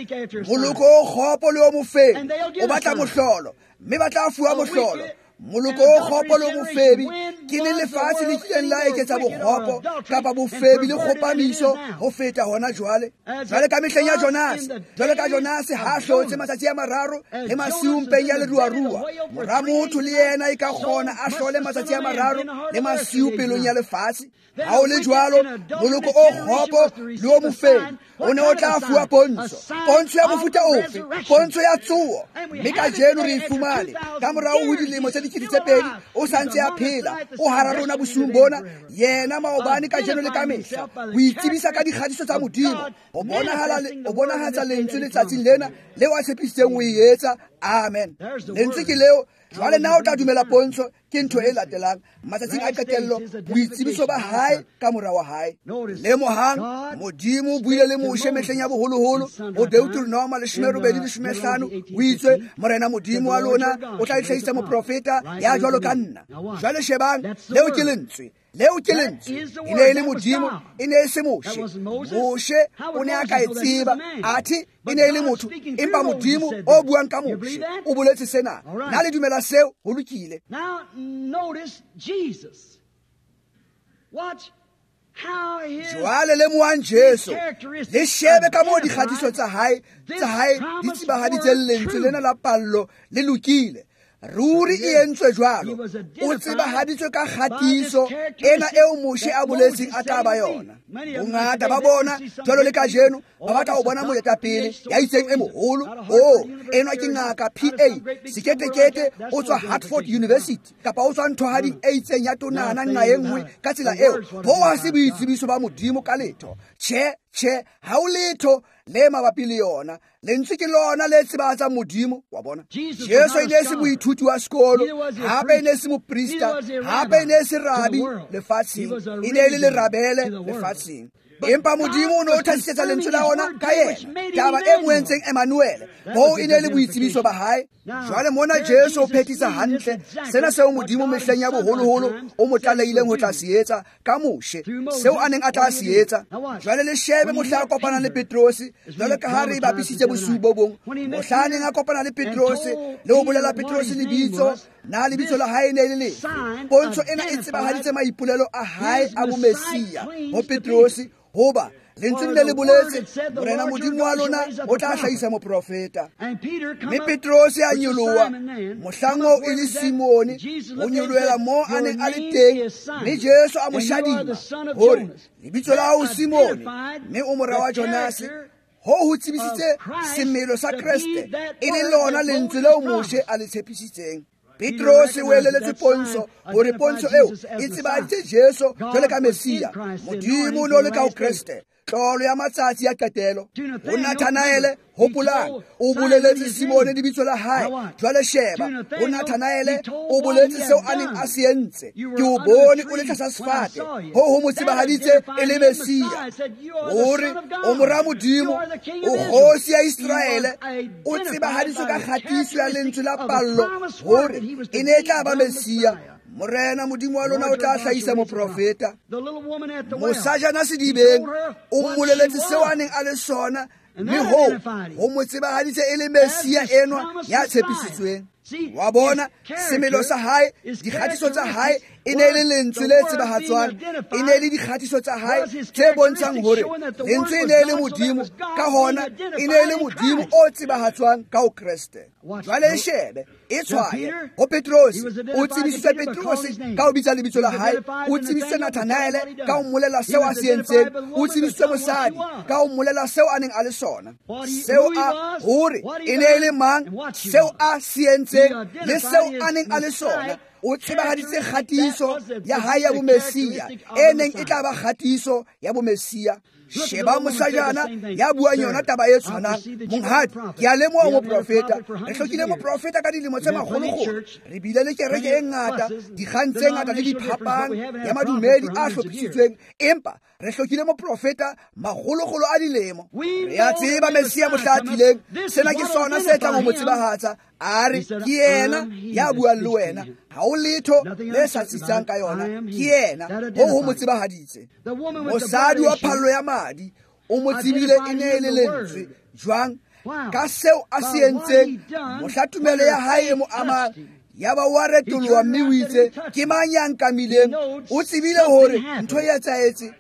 moloko o kgopo le o mofebi o batla mohlolo, mme ba tla fuwa mohlolo. Moloko o kgopo le o mofebi ke le lefatshe le kileng la eketsa bokgopo kapa bofebi le kgopamiso ho feta hona jwale. Jwale ka mehleng ya Jonase, jwale ka Jonase ha hlotse matsatsi a mararo le masiu mpeng ya leruarua, mora motho le yena e ka kgona a hlole matsatsi a mararo le masiu pelong ya lefatshe. Ha o le jwalo, moloko o kgopo le o mofebi o ne o tla fuwa pontsho, pontsho ya mofuta ofe, pontsho ya tsoho. Mme kajeno re e fumane ka morao ho dilemo tse dikete tse pedi, o sa ntse a phela, o hara rona bosiung bona, yena maobane, kajeno le kamehla. O itsebisa ka dikgatiso tsa Modimo, o bonahala, o bonahatsa lentswe letsatsing lena leo a tshepisitseng ho e etsa. Amen. Lentswe ke leo. Jwale na o tla dumela pontsho ke ntho e latelang matsatsing a qetello, boitsebiso ba hae ka mora wa hae. Lemohang, Modimo o buile le Moshe mehleng ya boholoholo ho Deuteronoma leshome robedi leshome hlano, o itswe, Morena Modimo wa lona o tla itlhahisa moprofeta ya jwalo ka nna. Jwale shebang, leo ke lentswe. Leo ke lentswe. E ne e le Modimo, e ne e se Moshe. Moshe o ne a ka e tseba, athe e ne e le motho, empa Modimo o buang ka Moshe o boletse sena. Na le dumela seo? Ho lokile. Now notice Jesus. Watch how his Jwale lemohang Jesu, le shebe ka moo dikgatiso tsa hae tsa hae di tsebahaditseng lentswe lena la pallo le lokile. Ruri e entswe jwalo. O tsebahaditswe ka kgatiso ena eo Moshe a boletseng a tla ba yona. Bongata ba bona jwalo le kajeno ba batla ho bona moetapele ya itseng e moholo. Oh, enwa ke ngaka P A seketekete, o tswa Hartford University kapa o tswa nthohading e itseng ya tonana nqa e nngwe ka tsela eo. Hoo ha se boitsebiso ba Modimo ka letho. Tjhe, tjhe, ha o letho le mabapi le yona. Lentswe ke lona le tsebahatsang Modimo, wa bona. Jesu e ne e se moithuti wa sekolo, hape e ne e se moprista, hape e ne e se rabi lefatsheng, e ne e le lerabele lefatsheng. Empa Modimo o ne o thasisetsa lentswe la ona ka yena, taba e mo entseng Emmanuel, hoo e ne le boitsebiso ba hae. Jwale mona Jesu o phethisa hantle sena seo Modimo mehleng ya boholoholo o mo tlalehileng ho tla se etsa ka Moshe, seo a neng a tla se etsa. Jwale le shebe mohla a kopana le Petrose, jwale ka ha re bapisitse bosiu bo bong, mohla a neng a kopana le Petrose le ho bolela Petrose lebitso, na lebitso la hae ne le lefe. Pontsho ena e tsebahaditse maipolelo a hae a bomesia ho Petrose, hoba lentswe le le boletse Morena Modimo wa lona o tla hlahisa moprofeta. Mme Petrose a nyoloha mohlang oo e le Simone, o nyolohela moo a neng a le teng, mme Jesu a mo shadima hore lebitso la hao Simone, mme o mora wa Jonase. Ho ho tsebisitse semelo sa Kreste, e le lona lentswe leo Moshe a le tshepisitseng. Petrose o eleletse pontsho hore pontsho eo e tsebahaditse Jesu jwale ka Mesia. Modimo o ne o le ka ho Kreste, tlolo ya matsatsi ya qetelo. Ho Nathanaele, hopolang, o boleletse Simone lebitso la hae. Jwale sheba, ho Nathanaele o boletse seo a neng a se entse. Ke o bone o le tlasa sefate, ho ho mo tsebahaditse e le Mesia. Hore o mora Modimo, o kgosi ya Iseraele, o tsebahaditswe ka kgatiso ya lentswe la pallo hore e ne e tla ba Mesia. Morena Modimo wa lona o tla hlahisa moprofeta. Mosajana sedibeng o mmoleletse seo a neng a le sona, mme hoo ho mo tsebahaditse e le Mesia enwa ya tshepisitsweng. Wa bona semelo sa hae, dikgatiso tsa hae e ne le lentswe le tsebahatswang, e ne le dikgatiso tsa hae tse bontshang hore lentswe e ne le Modimo, ka hona e ne le Modimo o tsebahatswang ka ho Kreste. Jwale e shebe, e tshwaye ho Petrose, o tsebisitse Petrose ka ho bitsa lebitso la hae, o tsebisitse Nathanaele ka ho mmolela seo a se entseng, o tsebisitse mosadi ka ho mmolela seo a neng a le sona, seo a hore e ne le mang, seo a se entseng le seo a neng a le sona. O tsebahaditse kgatiso ya hae ya bomesia, e neng e tla ba kgatiso ya bomesia. Sheba mosajana ya buang yona taba e tshwanang. Monghadi, ke a lemoha moprofeta. Re hlokile moprofeta ka dilemo tse makgolokgolo. Re bile le kereke e ngata, dikgang tse ngata le diphapang ya madumedi a hlophisitsweng, empa re hlokile moprofeta makgolokgolo a dilemo. Re a tseba Mesia mohla a tlileng, sena ke sona se tlang ho mo tsebahatsa. A re ke yena ya buang le wena, ha o letho le sa tsitsang ka yona, ke yena. Ho ho mo tsebahaditse. Mosadi wa phallo ya madi o mo tsebile e ne e le lentswe. Jwang? Ka seo a se entseng mohla tumelo ya hae e mo amang, ya ba wa retoloha mme o itse, ke mang ya nkamileng? O tsebile hore ntho e etsahetse.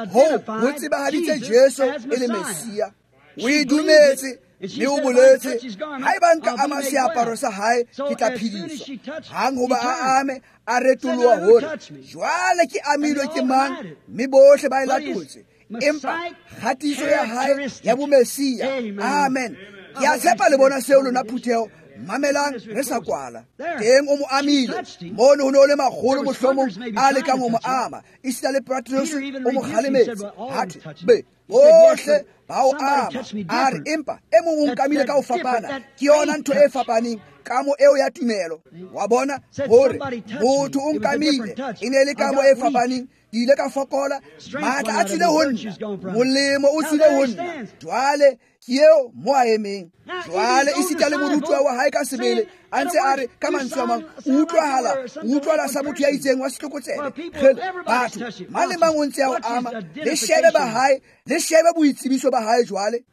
Ho ho tsebahaditse Jesu e le Mesia. O e dumetse mme o boletse, haeba nka ama seaparo sa hae ke tla phediswa. Hang hoba a ame, a retoloha hore jwale ke amilwe ke mang, mme bohle ba e latotse. Empa kgatiso ya hae ya bomesia. Amen. Ke a tshepa le bona seo lona phutheho. Mamelang re sa kwala. Teng o mo amile. Mono ho ne ho le makgolo mohlomong a lekang ho mo ama. Esita le Petrose o mo kgalemetse. Ha thwe, be bohle ba o ama. A re empa e mong o nkamile ka ho fapana. Ke yona ntho e fapaneng, kamo eo ya tumelo. Wa bona hore motho o nkamile, e ne le kamo e fapaneng. Ke ile ka fokola, matla a tswile ho nna, molemo o tswile ho nna. Jwale ke eo mo a emeng. Jwale esita le morutuwa wa hae ka sebele a ntse a re ka mantswe a mang, o utlwahala, o utlwahala sa motho ya itseng wa setlokotsebe. Kgele, batho mang le mang o ntse a o ama. Le shebe ba hae, le shebe boitsebiso ba hae jwale.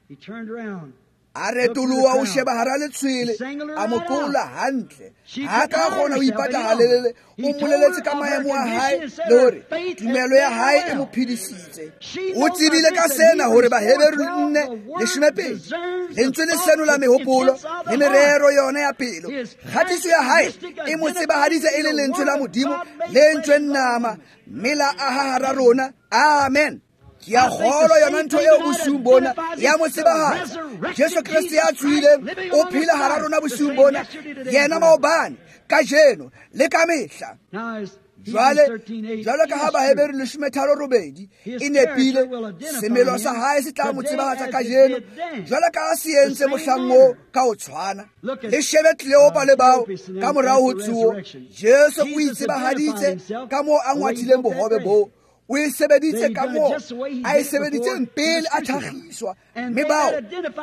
A retoloha o sheba hara letshwele, a mo kola hantle. Ha ka kgona ho ipata halelele, o mmoleletse ka maemo a hae le hore tumelo ya hae e mo phedisitse. O tsebile ka sena hore Baheberu nne leshome pedi lentswe le senola mehopolo le merero yona ya pelo. Kgatiso ya hae e mo tsebahaditse e le lentswe la Modimo le entsweng nama, mme la aha hara rona. Amen. Ke a kgolwa yona ntho eo bosiung bona ya mo tsebahatsa. Jesu Kreste ya tsohileng o phela hara rona bosiung bona, yena maobane, kajeno le ka mehla. Jwale, jwalo ka ha Baheberu leshome tharo robedi e nepile, semelo sa hae se tla mo tsebahatsa kajeno, jwalo ka ha se entse mohlang oo ka ho tshwana. Le shebe Kleopa le bao ka morao ho tsoho, Jesu o itsebahaditse ka moo a ngwathileng bohobe boo. O e sebeditse ka moo a e sebeditseng pele a tlhagiswa, mme bao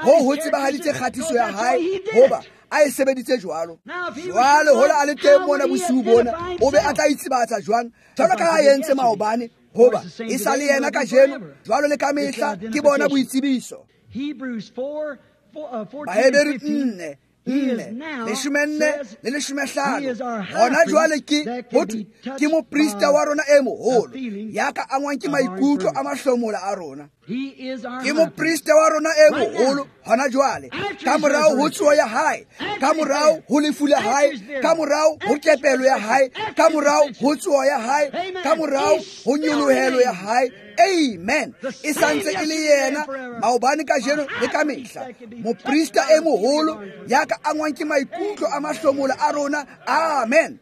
ho ho tsebahaditse kgatiso ya hae hoba a e sebeditse jwalo. Jwale hola a le teng mona bosiu bona, o be a tla itsebatsa jwang jwalo ka ha a entse maobane, hoba e sa le yena kajeno jwalo le ka mehla. Ke bona boitsebiso. Bahebere nne nne leshome nne le leshome hlano. Hona jwale ke ho thwe ke moprista wa rona e moholo ya ka angwang ke maikutlo a mahlomola a rona. Ke moprista wa rona e moholo hona jwale, ka morao ho tsoho ya hae, ka morao ho lefu la hae, ka morao ho kepelo ya hae, ka morao ho tsoho ya hae, ka morao ho nyolohelo ya hae. Amen. E santse e le yena maobane, kajeno le ka mehla, moprista e moholo ya ka angwang ke maikutlo a mahlomola a rona. Amen.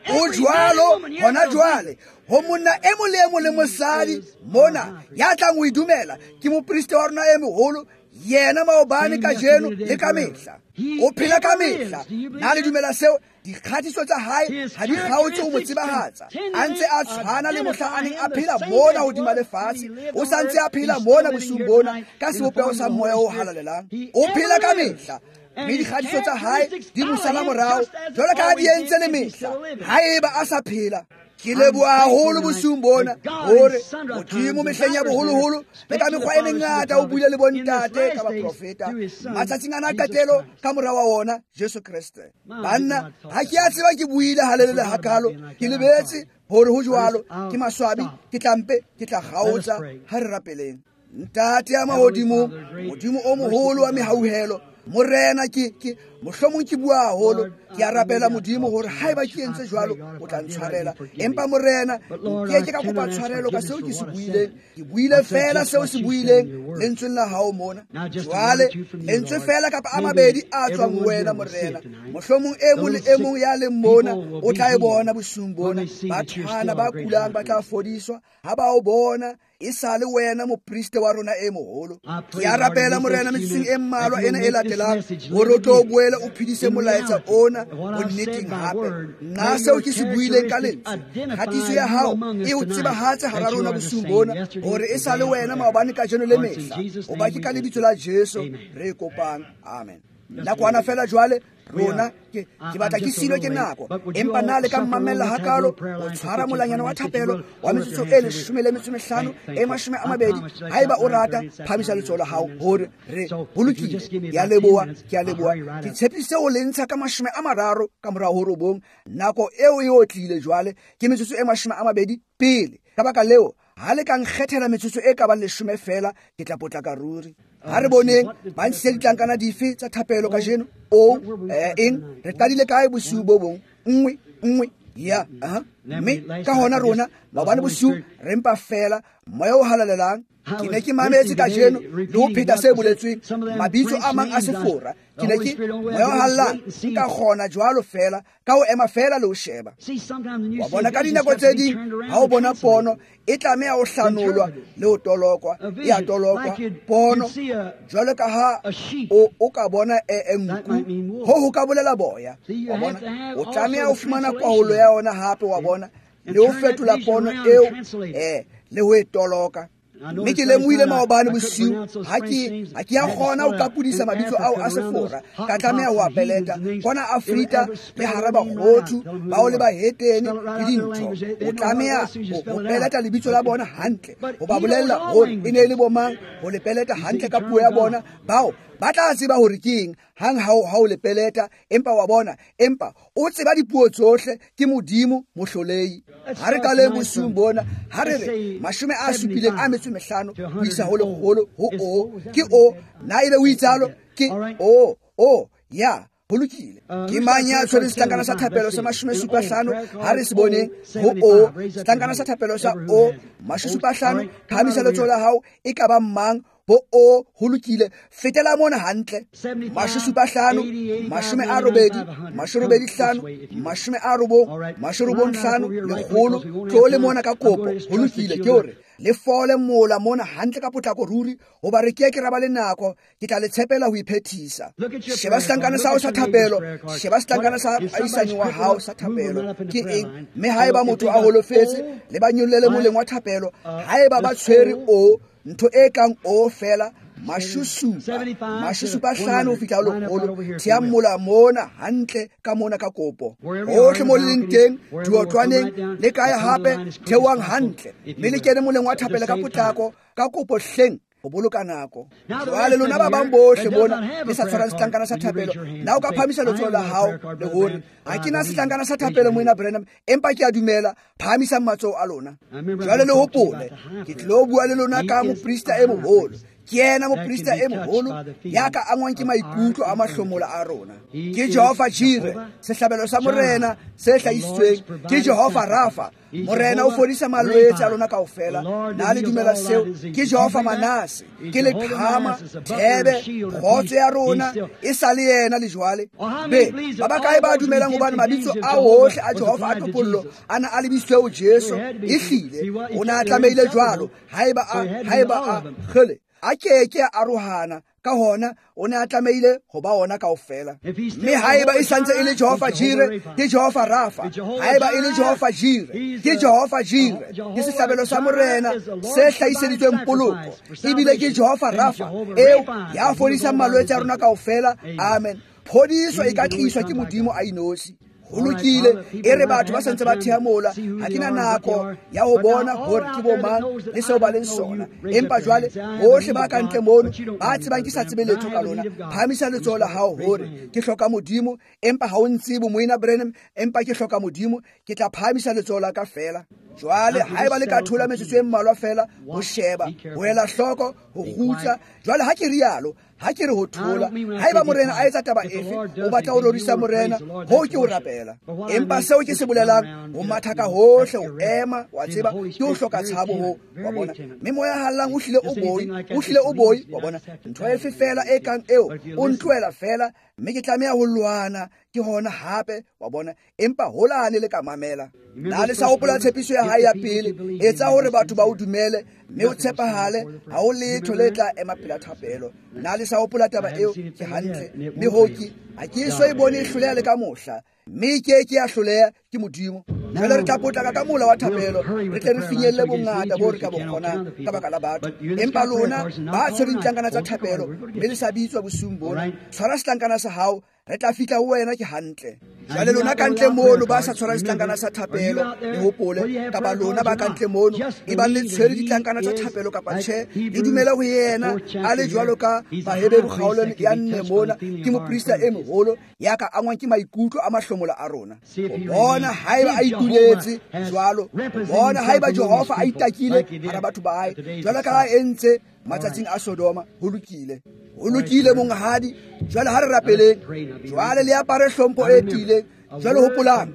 O jwalo hona jwale ho monna e mong le e mong le mosadi mona ya tlang ho e dumela, ke moprista wa rona e moholo, yena maobane, kajeno le ka mehla. O phela ka mehla. Na le dumela seo? Dikgatiso tsa hae ha di kgaotse ho mo tsebahatsa. A ntse a tshwana le mohla a neng a phela mona hodima lefatshe, o sa ntse a phela mona bosiung bona ka sebopeho sa moya o halalelang. O phela ka mehla, mme dikgatiso tsa hae di mo sala morao jwalo ka ha di entse le mehla haeba a sa phela. Ke leboha haholo bosiung bona hore Modimo mehleng ya boholoholo le ka mekgwa e mengata o buile le bontate ka baprofeta matsatsing ana a qetelo ka mora wa wona Jesu Kreste. Banna, ha ke a tseba ke buile halelele hakalo, ke lebetse hore ho jwalo. Ke maswabi, ke tlampe, ke tla kgaotsa. Ha re rapeleng. Ntate ya mahodimo, Modimo o moholo wa mehauhelo, Morena, ke ke mohlomong ke bua haholo, ke a rapela Modimo hore haeba ke entse jwalo o tla ntshwarela. Empa Morena, nke ke ka kopa tshwarelo ka seo ke se buileng. Ke buile fela seo se buileng lentsweng la hao mona. Jwale lentswe fela kapa a mabedi a tswang ho wena Morena, mohlomong e mong le e mong ya leng mona o tla e bona bosiung bona. Bathwana ba kulang ba tla fodiswa ha ba o bona e sa le wena mopriste wa rona e moholo. Ke a rapela Morena metsotsong e mmalwa ena e latelang hore o tlo boele o phedise molaetsa ona bonneteng hape. Nna seo ke se buileng ka lentswe, kgatiso ya hao e o tsebahatse hara rona bosiung bona hore e sa le wena maobane, kajeno le mehla. Hoba ke ka lebitso la Jesu re kopang. Amen. Nakwana fela jwale rona ke ke batla ke silwe ke nako, empa na le ka mmamella hakalo o tshwara molanyana wa thapelo wa metsotso e leshome le metso mehlano e mashome a mabedi. Haeba o rata, phamisa letsoho la hao hore re bolokile. Ke a leboha, ke a leboha. Ke tshepise ho le ntsha ka mashome a mararo ka morao ho robong. Nako eo e otlile jwale ke metsotso e mashome a mabedi pele. Ka baka leo, ha le ka nkgethela metsotso e ka bang leshome fela, ke tla potlaka ruri. Ha re boneng ba ntshitse ditlankana dife tsa thapelo kajeno. O eh, eng re qadile kae bosiu bo bong? Nngwe nngwe ya aha. Mme ka hona rona maobane bosiu re mpa fela moya o halalelang. Ke ne ke mametse kajeno le ho pheta se boletsweng mabitso a mang a sefora. Ke ne ke moya o halalelang nka kgona jwalo fela ka ho ema fela le ho sheba. Wa bona ka dinako tse ding ha o bona pono e tlameha ho hlanolwa le ho tolokwa, e a tolokwa pono jwalo ka ha o o ka bona e nku, ho ho ka bolela boya. Wa bona o tlameha ho fumana kwaholo ya yona hape, wa bona, le ho fetola pono eo eh le ho e toloka. Mme ke lemohile maobane bosiu ha ke ha ke a kgona ho qapodisa mabitso ao a sefora, ka tlameha ho a peleta kwana Afrika le hara bakgothu bao le bahetene le dintho. O tlameha ho peleta lebitso la bona hantle, ho ba bolella hore e ne e le bomang, ho le peleta hantle ka puo ya bona. Bao ba tla tseba hore ke eng hang ha ha o le peleta. Empa wa bona, empa o tseba dipuo tsohle, ke Modimo mohlolei. Ha re qaleng bosiung bona, ha re re mashome a supileng a metso mehlano ho isa ho lekgolo ho o ke o na ebe o itsalo ke o o ya ho lokile. Ke mang ya tshwereng setlankana sa thapelo sa mashome supa hlano? Ha re se boneng ho o setlankana sa thapelo sa o mashome supa hlano. Phahamisa letsoho la hao. E ka ba mang bo o? Ho lokile, fetela mona hantle. Mashome supa hlano, mashome a robedi, mashome robedi hlano, mashome a robong, mashome robong hlano, lekgolo. Tlo le mona ka kopo. Ho lokile, ke hore Le fole mola mona hantle ka potlako ruri, hoba re ke ke ra ba le nako, ke tla le tshepela ho iphethisa. Sheba setlankana sa hao sa thapelo, sheba setlankana sa ahisani wa hao sa thapelo ke eng, mme haeba motho a holofetse, le ba nyollele moleng wa thapelo. Haeba ba tshwere o ntho e kang o fela mashusupa mashusupa hlano ho fihla ho lekgolo, thea mola mona hantle ka mona ka kopo. Hohle mo le leng teng, diotlwaneng le kae hape, theohang hantle mme le kene moleng wa thapelo ka potlako ka kopo hleng ho boloka nako. Jwale lona ba bang bohle mona le sa tshwarang setlankana sa thapelo, na o ka phahamisa letsoho la hao le hore ha ke na setlankana sa thapelo moena Branham, empa ke a dumela, phahamisang matsoho a lona. Jwale le hopole, ke tlilo bua le lona ka moprista e moholo. Ke yena moprista e moholo ya ka angwang ke maikutlo a mahlomola a rona. Ke Jehova Jire, sehlabelo sa morena se hlahisitsweng. Ke Jehova Rafa, morena o fodisa malwetse a lona kaofela. Na le dumela seo? Ke Jehova Manase, ke leqhama, thebe, kgotso ya rona e sa le yena le jwale. Be ba bakae ba dumelang hobane mabitso a ohle a Jehova a topollo a na a lebisitswe ho Jesu? Ehlile o na a tlamehile jwalo. Haeba a haeba a kgele a ke ke a arohana, ka hona o ne a tlamehile ho ba ona kaofela. Mme haeba e santse e le Jehova Jire, ke Jehova Rafa. Haeba e le Jehova Jire, ke Jehova Jire, ke sehlabelo sa morena se hlahiseditsweng poloko. Ebile ke Jehova Rafa eo ya fodisang malwetse a rona kaofela. Amen. Phodiso e ka tliswa ke Modimo a inosi. Ho lokile, e re batho ba santse ba thea mola, ha ke na nako ya ho bona hore ke bo mang le seo ba leng sona. Empa jwale bohle ba ka ntle mono ba tsebang ke sa tsebe letho ka lona, phahamisa letsoho la hao hore ke hloka Modimo, empa ha o ntsebe moena Branham, empa ke hloka Modimo, ke tla phahamisa letsoho la ka feela. Jwale haeba le ka thola metsotso e mmalwa feela ho sheba, ho ela hloko, ho kgutsa. Jwale ha ke rialo, ha ke re ho thola, haeba morena a etsa taba efe, o batla ho rorisa morena, hoo ke ho rapela. Empa seo ke se bolelang, ho matha ka hohle, ho ema, wa tseba, ke ho hloka tshabo ho, wa bona. Mme moya hallang o hlile o boi, o hlile o boi, wa bona. Ntho efe feela e kang eo, o ntlohela feela, mme ke tlameha ho lwana, ke hona hape, wa bona. Empa holane le ka mamela. Na le sa hopola tshepiso ya hae ya pele, etsa hore batho ba o dumele, mme o tshepahale, ha o letho le tla ema pela thapelo. Na le sa hopola taba eo? Ke hantle. Mme ho ke ha ke eso e bone e hloleha le ka mohla, mme ke ke ya hloleha ke Modimo. Jwale re tla potlaka ka mola wa thapelo, re tle re finyelle bongata bo re ka bo kgonang ka baka la batho. Empa lona ba tshwereng ditlankana tsa thapelo, mme le sa bitswa bosiung bona, tshwara setlankana sa hao, re tla fihla ho wena ke hantle. Jwale lona ka ntle mono ba sa tshwarang setlankana sa thapelo, le hopole, kapa lona ba ka ntle mono e bang le tshwere ditlankana tsa thapelo kapa tjhe, le dumele ho yena a le jwalo ka Baheberu kgaolong ya nne mona, ke moprista e moholo ya ka angwang ke maikutlo a mahlomola a rona. Ho bona haeba a ituletse jwalo, ho bona haeba Jehova a itakile hara batho ba hae jwalo ka ha entse matsatsing a Sodoma. Ho lokile, ho lokile monghadi. Jwale ha re rapeleng, jwale le apare hlompho e tiileng. Jwale hopolang,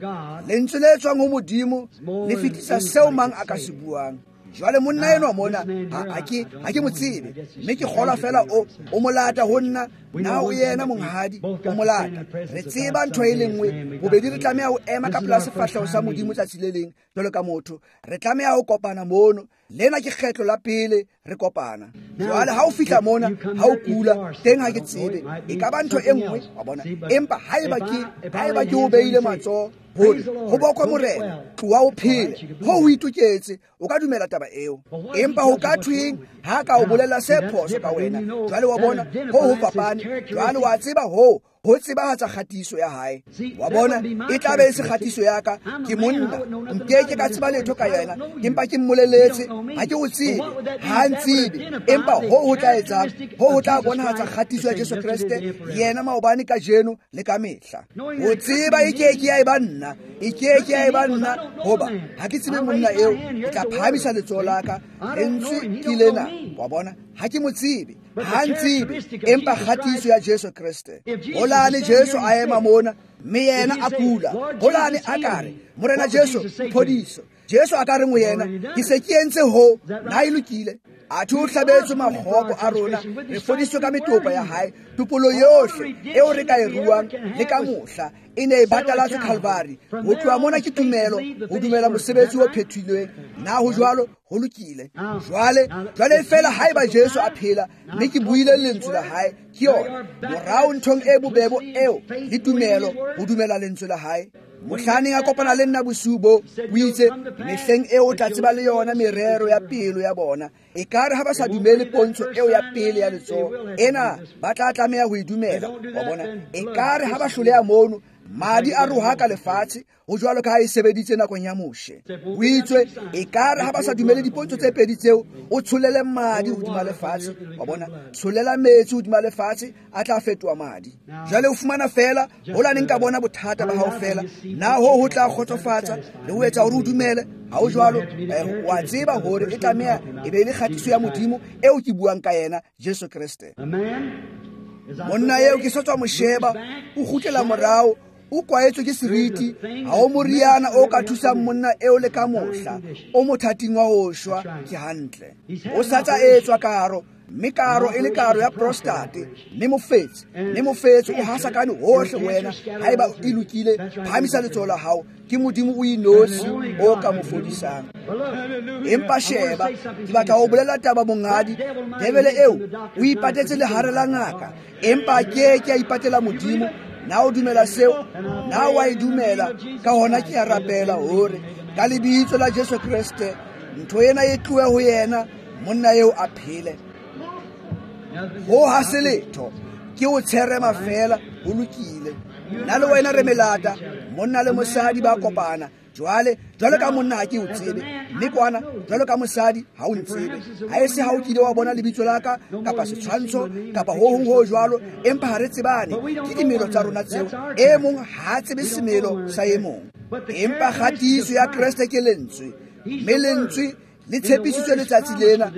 lentswe le tswang ho Modimo le fetisa seo mang a ka se buang. Jwale monna enwa mona ha ke ha ke mo tsebe, mme ke kgolwa fela o o molata ho nna, na o yena monghadi, o molata. Re tseba ntho e le nngwe, bobedi re tlameha ho ema ka pela sefahleho sa Modimo tsatsi le leng jwalo ka motho. Re tlameha ho kopana mono. Lena ke kgetlo la pele re kopana. Jwale ha o fihla mona, ha o kula teng ha ke tsebe, e ka ba ntho e nngwe, wa bona. Empa haeba ke haeba ke o beile matsoho hore ho bokwe morena, tloha o phele, ho ho itoketse, o ka dumela taba eo. Empa ho ka thweng ha ka o bolela se phoso ka wena? Jwale wa bona, ho ho fapane. Jwale wa tseba ho ho tsebahatsa kgatiso ya hae, wa bona. E tla be e se kgatiso ya ka, ke monna, nke ke ka tseba letho ka yena, empa ke mmoleletse, ha ke o tsebe, ha ntsebe. Empa ho ho tla etsang, ho ho tla bonahatsa kgatiso ya Jesu Kreste, yena maobane, kajeno le ka mehla. Ho tseba e ke ke ya e ba nna, e ke ke ya e ba nna, hoba ha ke tsebe monna eo, ke tla phahamisa letsoho la ka, lentswe ke lena, wa bona. Ha ke mo tsebe, ha ntsebe, empa kgatiso ya Jesu Kreste. Holane Jesu a ema mona, mme yena a kula, holane a ka re, Morena Jesu, phodiso. Jesu a ka re ho yena, ke se ke entse ho, na e lokile. Athe o hlabetswe makgopo a rona, re fodiswe ka metopa ya hae. Topolo yohle eo re ka e ruang le ka mohla e ne e batalatswe Calvary. Ho tloha mona ke tumelo, ho dumela mosebetsi o phethilweng. Na ho jwalo? Ho lokile. Jwale, jwale feela haeba Jesu a phela, mme ke buile lentswe la hae, ke yona morao nthong e bobebo eo le tumelo ho dumela lentswe la hae. Mohlaneng a kopana le nna bosiu bo, o itse mehleng eo o tla tseba le yona merero ya pelo ya bona. Ekare ha ba sa dumele pontsho eo ya pele ya letsoho ena, ba tla tlameha ho e dumela. Wa bona, ekare ha ba hloleha mono, madi a rohaka lefatshe, ho jwalo ka ha e sebeditse nakong ya Moshe. O itswe ekare ha ba sa dumele dipontsho tse pedi tseo, o tsholele madi hodima lefatshe. Wa bona, tsholela metsi hodima lefatshe, a tla fetoha madi. Jwale o fumana feela hola nka bona bothata ba hao feela, na ho ho tla kgotsofatsa le ho etsa hore o dumele. Ha o jwalo, wa tseba hore e tlameha e be le kgatiso ya Modimo eo ke buang ka yena, Jesu Kreste. Monna eo ke sa tswa mo sheba, o kgutlela morao, o kwaetswe ke seriti. Ha o moriana o ka thusang monna eo le ka mohla, o mothating wa ho shwa. Ke hantle. O sa tsa etswa karo, mme karo e le karo ya prostate, mme mofetse, mme mofetse o hasakane hohle ho wena. Haeba e lokile, phahamisa letsoho la hao. Ke Modimo o inotshi o ka mo fodisang. Empa sheba, ke batla ho bolela taba monghadi. Debele eo o ipatetse lehare la ngaka, empa ke ke a ipatela Modimo. Na o dumela seo? Na wa e dumela? Ka hona ke a rapela hore ka lebitso la Jesu Kreste ntho ena e tlohe ho yena, monna eo a phele. Ho ha se letho, ke o tsherema feela, ho lokile. Nna le wena re melata, monna le mosadi ba kopana. Jwale, jwalo ka monna ha ke o tsebe, mme kwana jwalo ka mosadi ha o ntsebe. Ha e se ha o kile wa bona lebitso la ka kapa setshwantsho kapa ho hong ho jwalo, empa ha re tsebane. Ke dimelo tsa rona tseo. E mong ha a tsebe semelo sa e mong. Empa kgatiso ya Kreste ke lentswe, mme lentswe le tshepisitswe letsatsi lena.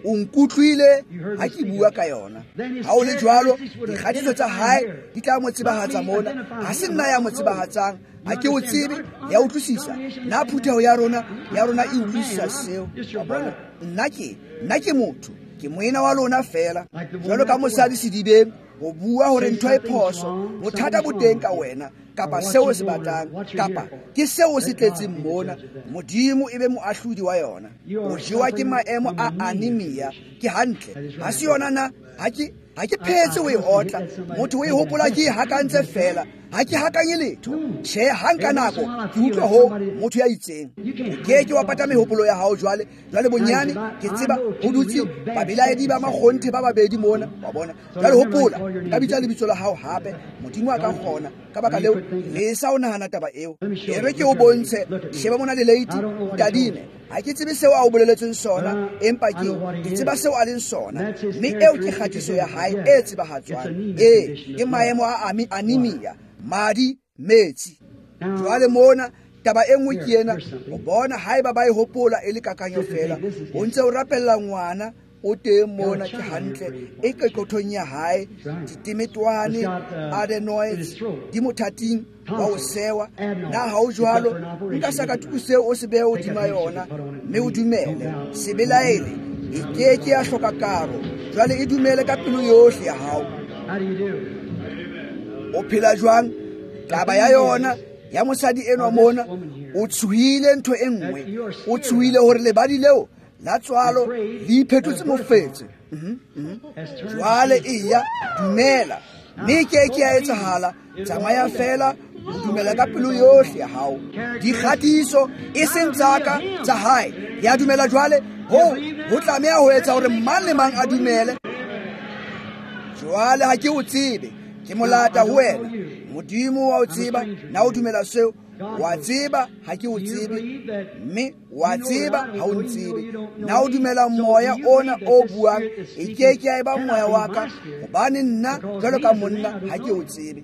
O nkutlwile ha ke bua ka yona. Ha o le jwalo, dikgatiso tsa hae di tla mo tsebahatsa mona. Ha se nna ya mo tsebahatsang, ha ke o tsebe, ya utlwisisa. Na phutheho ya rona, ya rona e utlwisisa seo. Wa bona, nna ke, nna ke motho, ke moena wa lona feela. Jwalo ka mosadi sedibeng, ho bua hore ntho e phoso, bothata bo teng ka wena, kapa seo se batlang, kapa ke seo se tletseng mona. Modimo e be moahlodi wa yona. O jewa ke maemo a anemia. Ke hantle. Ha se yona na? Ha ke ha ke phetse o e otla. Motho o e hopola ke e hakantse feela. Ha ke hakanye letho. Tjhe, ha nka nako ke utlwa ho motho ya itseng. O ke ke wa pata mehopolo ya hao jwale. Jwale bonyane ke tseba ho dutse babelaedi ba makgonthe ba babedi mona. Wa bona. Jwale hopola, ka bitsa lebitso la hao hape. Modimo a ka kgona. Ka baka leo, le sa o nahana taba eo. E re ke o bontshe, sheba mona le lady, tadime. Ha ke tsebe seo a o boleletseng sona, empa ke ke tseba seo a leng sona. Mme eo ke kgatiso ya hae e tsebahatswang. Ee, ke maemo a anemia, madi, metsi. Jwale mona taba e nngwe ke ena, o bona haeba ba e hopola e le kakanyo feela. O ntse o rapella ngwana o teng mona, ke hantle, e qeqothong ya hae, ditemetwane, adenoids, di mothating wa ho sewa. Na ha o jwalo, nka sakatuku seo o se behe hodima yona, mme o dumele, se belaele, e ke ke ya hloka karo. Jwale e dumele ka pelo yohle ya hao. O phela jwang? Taba ya yona ya mosadi enwa mona, o tshohile ntho e nngwe. O tshohile hore lebadi leo la tswalo le iphetotse mofetse. Jwale eya, dumela, mme ke ke ya etsahala. Tsamaya feela, o dumela ka pelo yohle ya hao. Dikgatiso e seng tsa ka, tsa hae. Ya dumela jwale, ho ho tlameha ho etsa hore mang le mang a dumele. Jwale ha ke o tsebe, ke molata ho wena. Modimo wa o tseba, na o dumela seo? Wa tseba ha ke o tsebe, mme wa tseba ha o ntsebe. Na o dumela moya ona o buang, e ke ke ya eba moya wa ka, hobane nna jwalo ka monna ha ke o tsebe.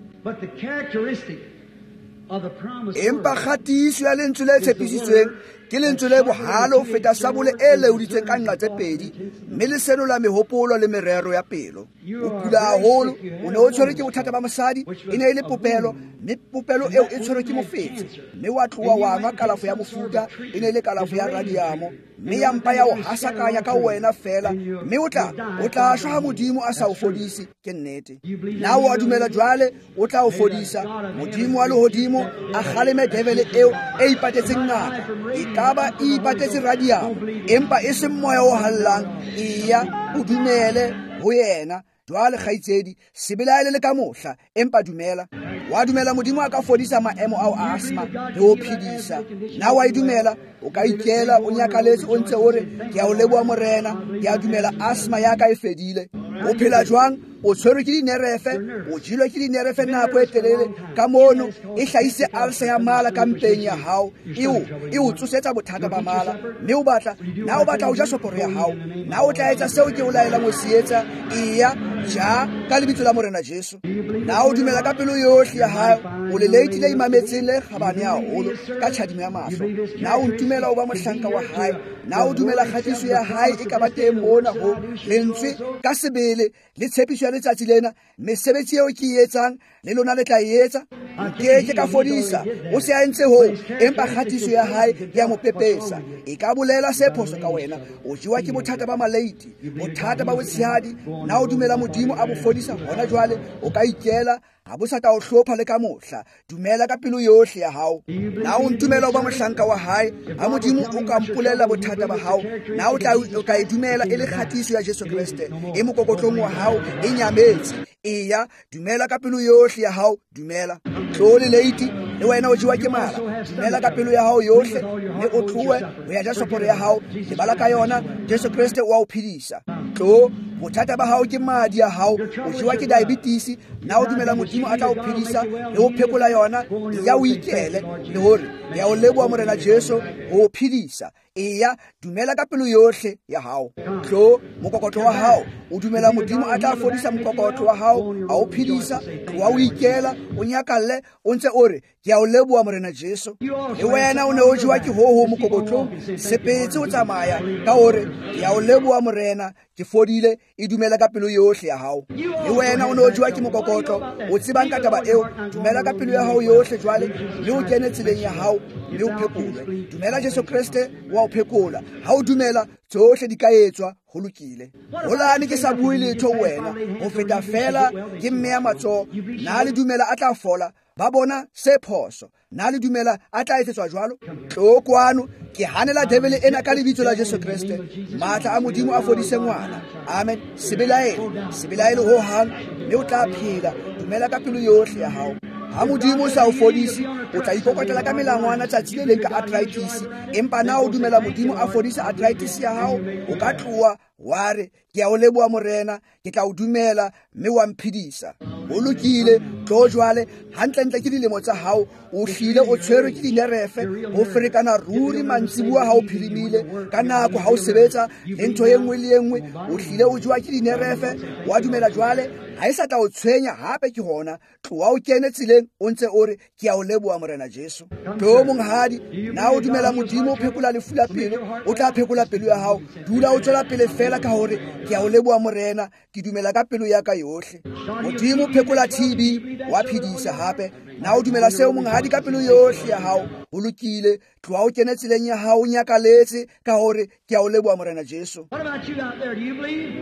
Empa kgatiso ya lentswe le tshepisitsweng Ke lentswe le bohale ho feta sabole e leoditseng ka nqa tse pedi, mme le senola mehopolo le merero ya pelo. O kula haholo, o ne o tshwerwe ke bothata ba mosadi, e ne e le popelo, mme popelo eo e tshwerwe ke mofetshe, mme wa tloha wa nwa kalafo ya mofuta, e ne e le kalafo ya radiamo, mme ya mpa ya o hasakanya ka wena fela, mme o tla o tla shwa ha Modimo a sa o fodise. Ke nnete. Na o a dumela jwale o tla o fodisa? Modimo wa lehodimo a kgaleme devele eo e ipatetseng ngaka, e ka ba e ipatetse radiamo, empa e seng moya o hallang. Eya, o dumele ho yena. Jwale kgaitsedi, se belaele le ka mohla, empa dumela. Wa dumela Modimo a ka fodisa maemo ao a asthma le ho phedisa? Na wa e dumela? O ka ikela o nyakaletse o ntse o re, ke a o leboha Morena, ke a dumela asthma ya ka e fedile. O phela jwang? O tshwerwe ke dinerefe, o jelwe ke dinerefe nako e telele ka mono, e hlahise ulcer ya mala ka mpeng ya hao, eo e o tsosetsa bothata ba mala, mme o batla, na o batla ho ja soporo ya hao? Na o tla etsa seo ke o laelang ho se etsa? Eya, ja ka lebitso la Morena Jesu. Na o dumela ka pelo yohle ya hao? O le leiti le imametseng le kgabane haholo ka tjhadimo ya mahlo. Na o ntumela o ba mohlanka wa hae? Na o dumela kgatiso ya hae e ka ba teng mona ho lentswe ka sebele le tshepiso ya letsatsi lena? Mesebetsi eo ke e etsang le lona le tla e etsa. Nke ke ka fodisa, o se a entse hoo, empa kgatiso ya hae ya mo pepesa. E ka bolela se phoso ka wena. O jewa ke bothata ba maleiti, bothata ba botshehadi. Na o dumela Modimo a bo fodisa hona jwale? O ka ikela, ha bo sa tla o hlopha le ka mohla. Dumela ka pelo yohle ya hao. Na o ntumela o ba mohlanka wa hae? Ha Modimo o ka mpolela bothata ba hao, na o tla o ka e dumela e le kgatiso ya Jesu Kreste e mokokotlong wa hao e nyametse? Eya, dumela ka pelo yohle ya hao. Dumela. Tlo le leiti, le wena o jewa ke mala. Dumela ka pelo ya hao yohle, mme o tlohe ho ya ja soporo ya hao. Lebala ka yona, Jesu Kreste o a o phedisa. Tlo, bothata ba hao ke madi a hao, o jewa ke diabetes. Na o dumela Modimo a tla o phedisa le ho phekola yona? Eya, o ikele le hore ke a o leboha Morena Jesu ho o phedisa. Eya, dumela ka pelo yohle ya hao. Tlo, mokokotlo wa hao, o dumela Modimo a tla fodisa mokokotlo wa hao, a o phedisa. Tloha o ikela, o nyakalle, o ntse o re, ke a o leboha Morena Jesu. Le wena o ne o jewa ke hoho mokokotlong, sepetse o tsamaya ka hore ke a o leboha Morena, ke fodile. E dumela ka pelo yohle ya hao. Le wena o ne o jewa ke mokokotlo, o tsebang ka taba eo? Dumela ka pelo ya hao yohle jwale, mme o kene tseleng ya hao, mme o phekolwe. Dumela Jesu Kreste wa o phekola. Ha o dumela, tsohle di ka etswa. Ho lokile. Holane ke sa bue letho ho wena, ho feta fela ke mme ya matsoho. Na le dumela a tla fola? Ba bona se phoso. Na le dumela a tla etsetswa jwalo? Tlo kwano, ke hanela devele ena ka lebitso la Jesu Kreste. Matla a Modimo a fodise ngwana. Amen. Se belaele, se belaele ho hang, mme o tla phela. Dumela ka pelo yohle ya hao. Ha Modimo o sa o fodise, o tla ikokotela ka melangwana tsatsi le leng ka arthritis. Empa na o dumela Modimo a fodisa arthritis ya hao, o ka tloha wa re, ke a o leboha Morena, ke tla o dumela mme wa mphedisa. Ho lokile. Tlo jwale, hantlentle ke dilemo tsa hao, o hlile o tshwerwe ke dinerefe, ho ferekana ruri mantsibuwa ha o phirimile, ka nako ha o sebetsa le ntho e nngwe le e nngwe, o hlile o jewa ke dinerefe. Wa dumela jwale, ha e sa tla o tshwenya hape ke hona. Tloha o kene tseleng o ntse o re, ke a o leboha Morena Jesu. Tlo monghadi, na o dumela Modimo o phekola lefu la pelo, o tla phekola pelo ya hao. Dula o tswela pele fela ka hore ke a o leboha Morena, ke dumela ka pelo ya ka yohle. Modimo phekola T B, wa phedisa hape. Na o dumela seo monghadi ka pelo yohle ya hao? Ho lokile. Tloha o kene tseleng ya hao, o nyakaletse ka hore ke a o leboha Morena Jesu. What about you out there? Do you believe?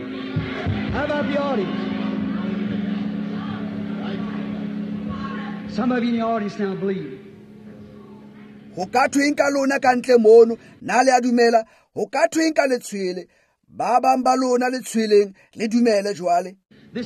How about the audience? Some of you in the audience now believe. Ho ka thweng ka lona ka ntle mono? Na le a dumela? Ho ka thweng ka letshwele? Ba bang ba lona letshweleng le dumele jwale.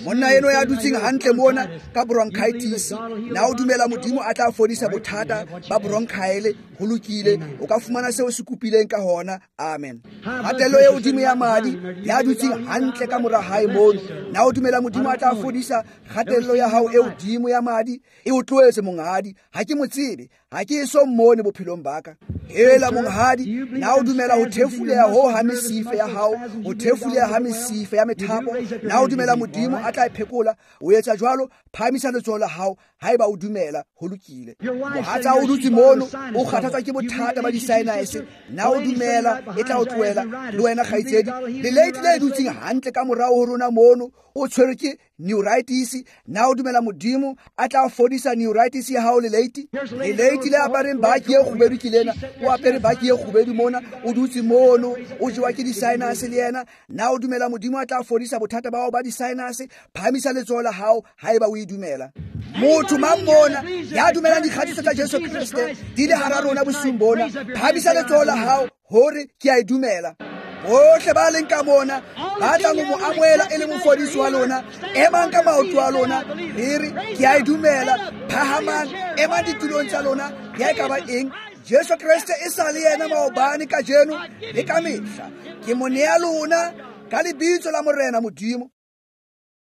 Monna eno ya dutseng hantle mona ka bronchitis, na o dumela Modimo a tla fodisa bothata ba bronchiale? Ho lokile, o ka fumana seo se kopileng ka hona. Amen. Kgatello e hodimo ya madi, ya dutseng hantle ka mora hae mono, na o dumela Modimo a tla fodisa kgatello ya hao e hodimo ya madi? E o tlohetse monghadi, ha ke mo tsebe, Ha ke eso mmone bophelong ba ka. Hela monghadi, na o dumela ho thefuleha ho ha mesifa ya hao, ho thefuleha ha mesifa ya methapo, na o dumela Modimo a tla e phekola? O etsa jwalo, phahamisa letsoho la hao haeba o dumela. Ho lokile. Mohatsa o dutse mono, o kgathatswa ke bothata ba di-sinus, na o dumela e tla o tlohela? Le wena kgaitsedi, le lady le dutseng hantle ka morao ho rona mono, o tshwerwe ke neuritis, na o dumela Modimo a tla fodisa neuritis ya hao le lady? Le lady le apareng baki e kgubedu ke lena, o apere baki e kgubedu mona, o dutse mono, o jewa ke di-sinus le yena, na o dumela Modimo a tla fodisa bothata ba hao ba di-sinus? Phahamisa letsoho la hao haeba o e dumela. Motho mang mona ya dumelang dikgatiso tsa Jesu Kreste di le hara rona bosiung bona, phahamisa letsoho la hao hore ke a e dumela. Bohle ba leng ka mona ba tlang ho mo amohela e le mofodisi wa lona, emang ka maoto a lona, le re ke a e dumela. Phahamang, emang ditulong tsa lona, ya e ka ba eng? Jesu Kreste e sa le yena maobane, kajeno le ka mehla. Ke mo nea lona ka lebitso la Morena Modimo.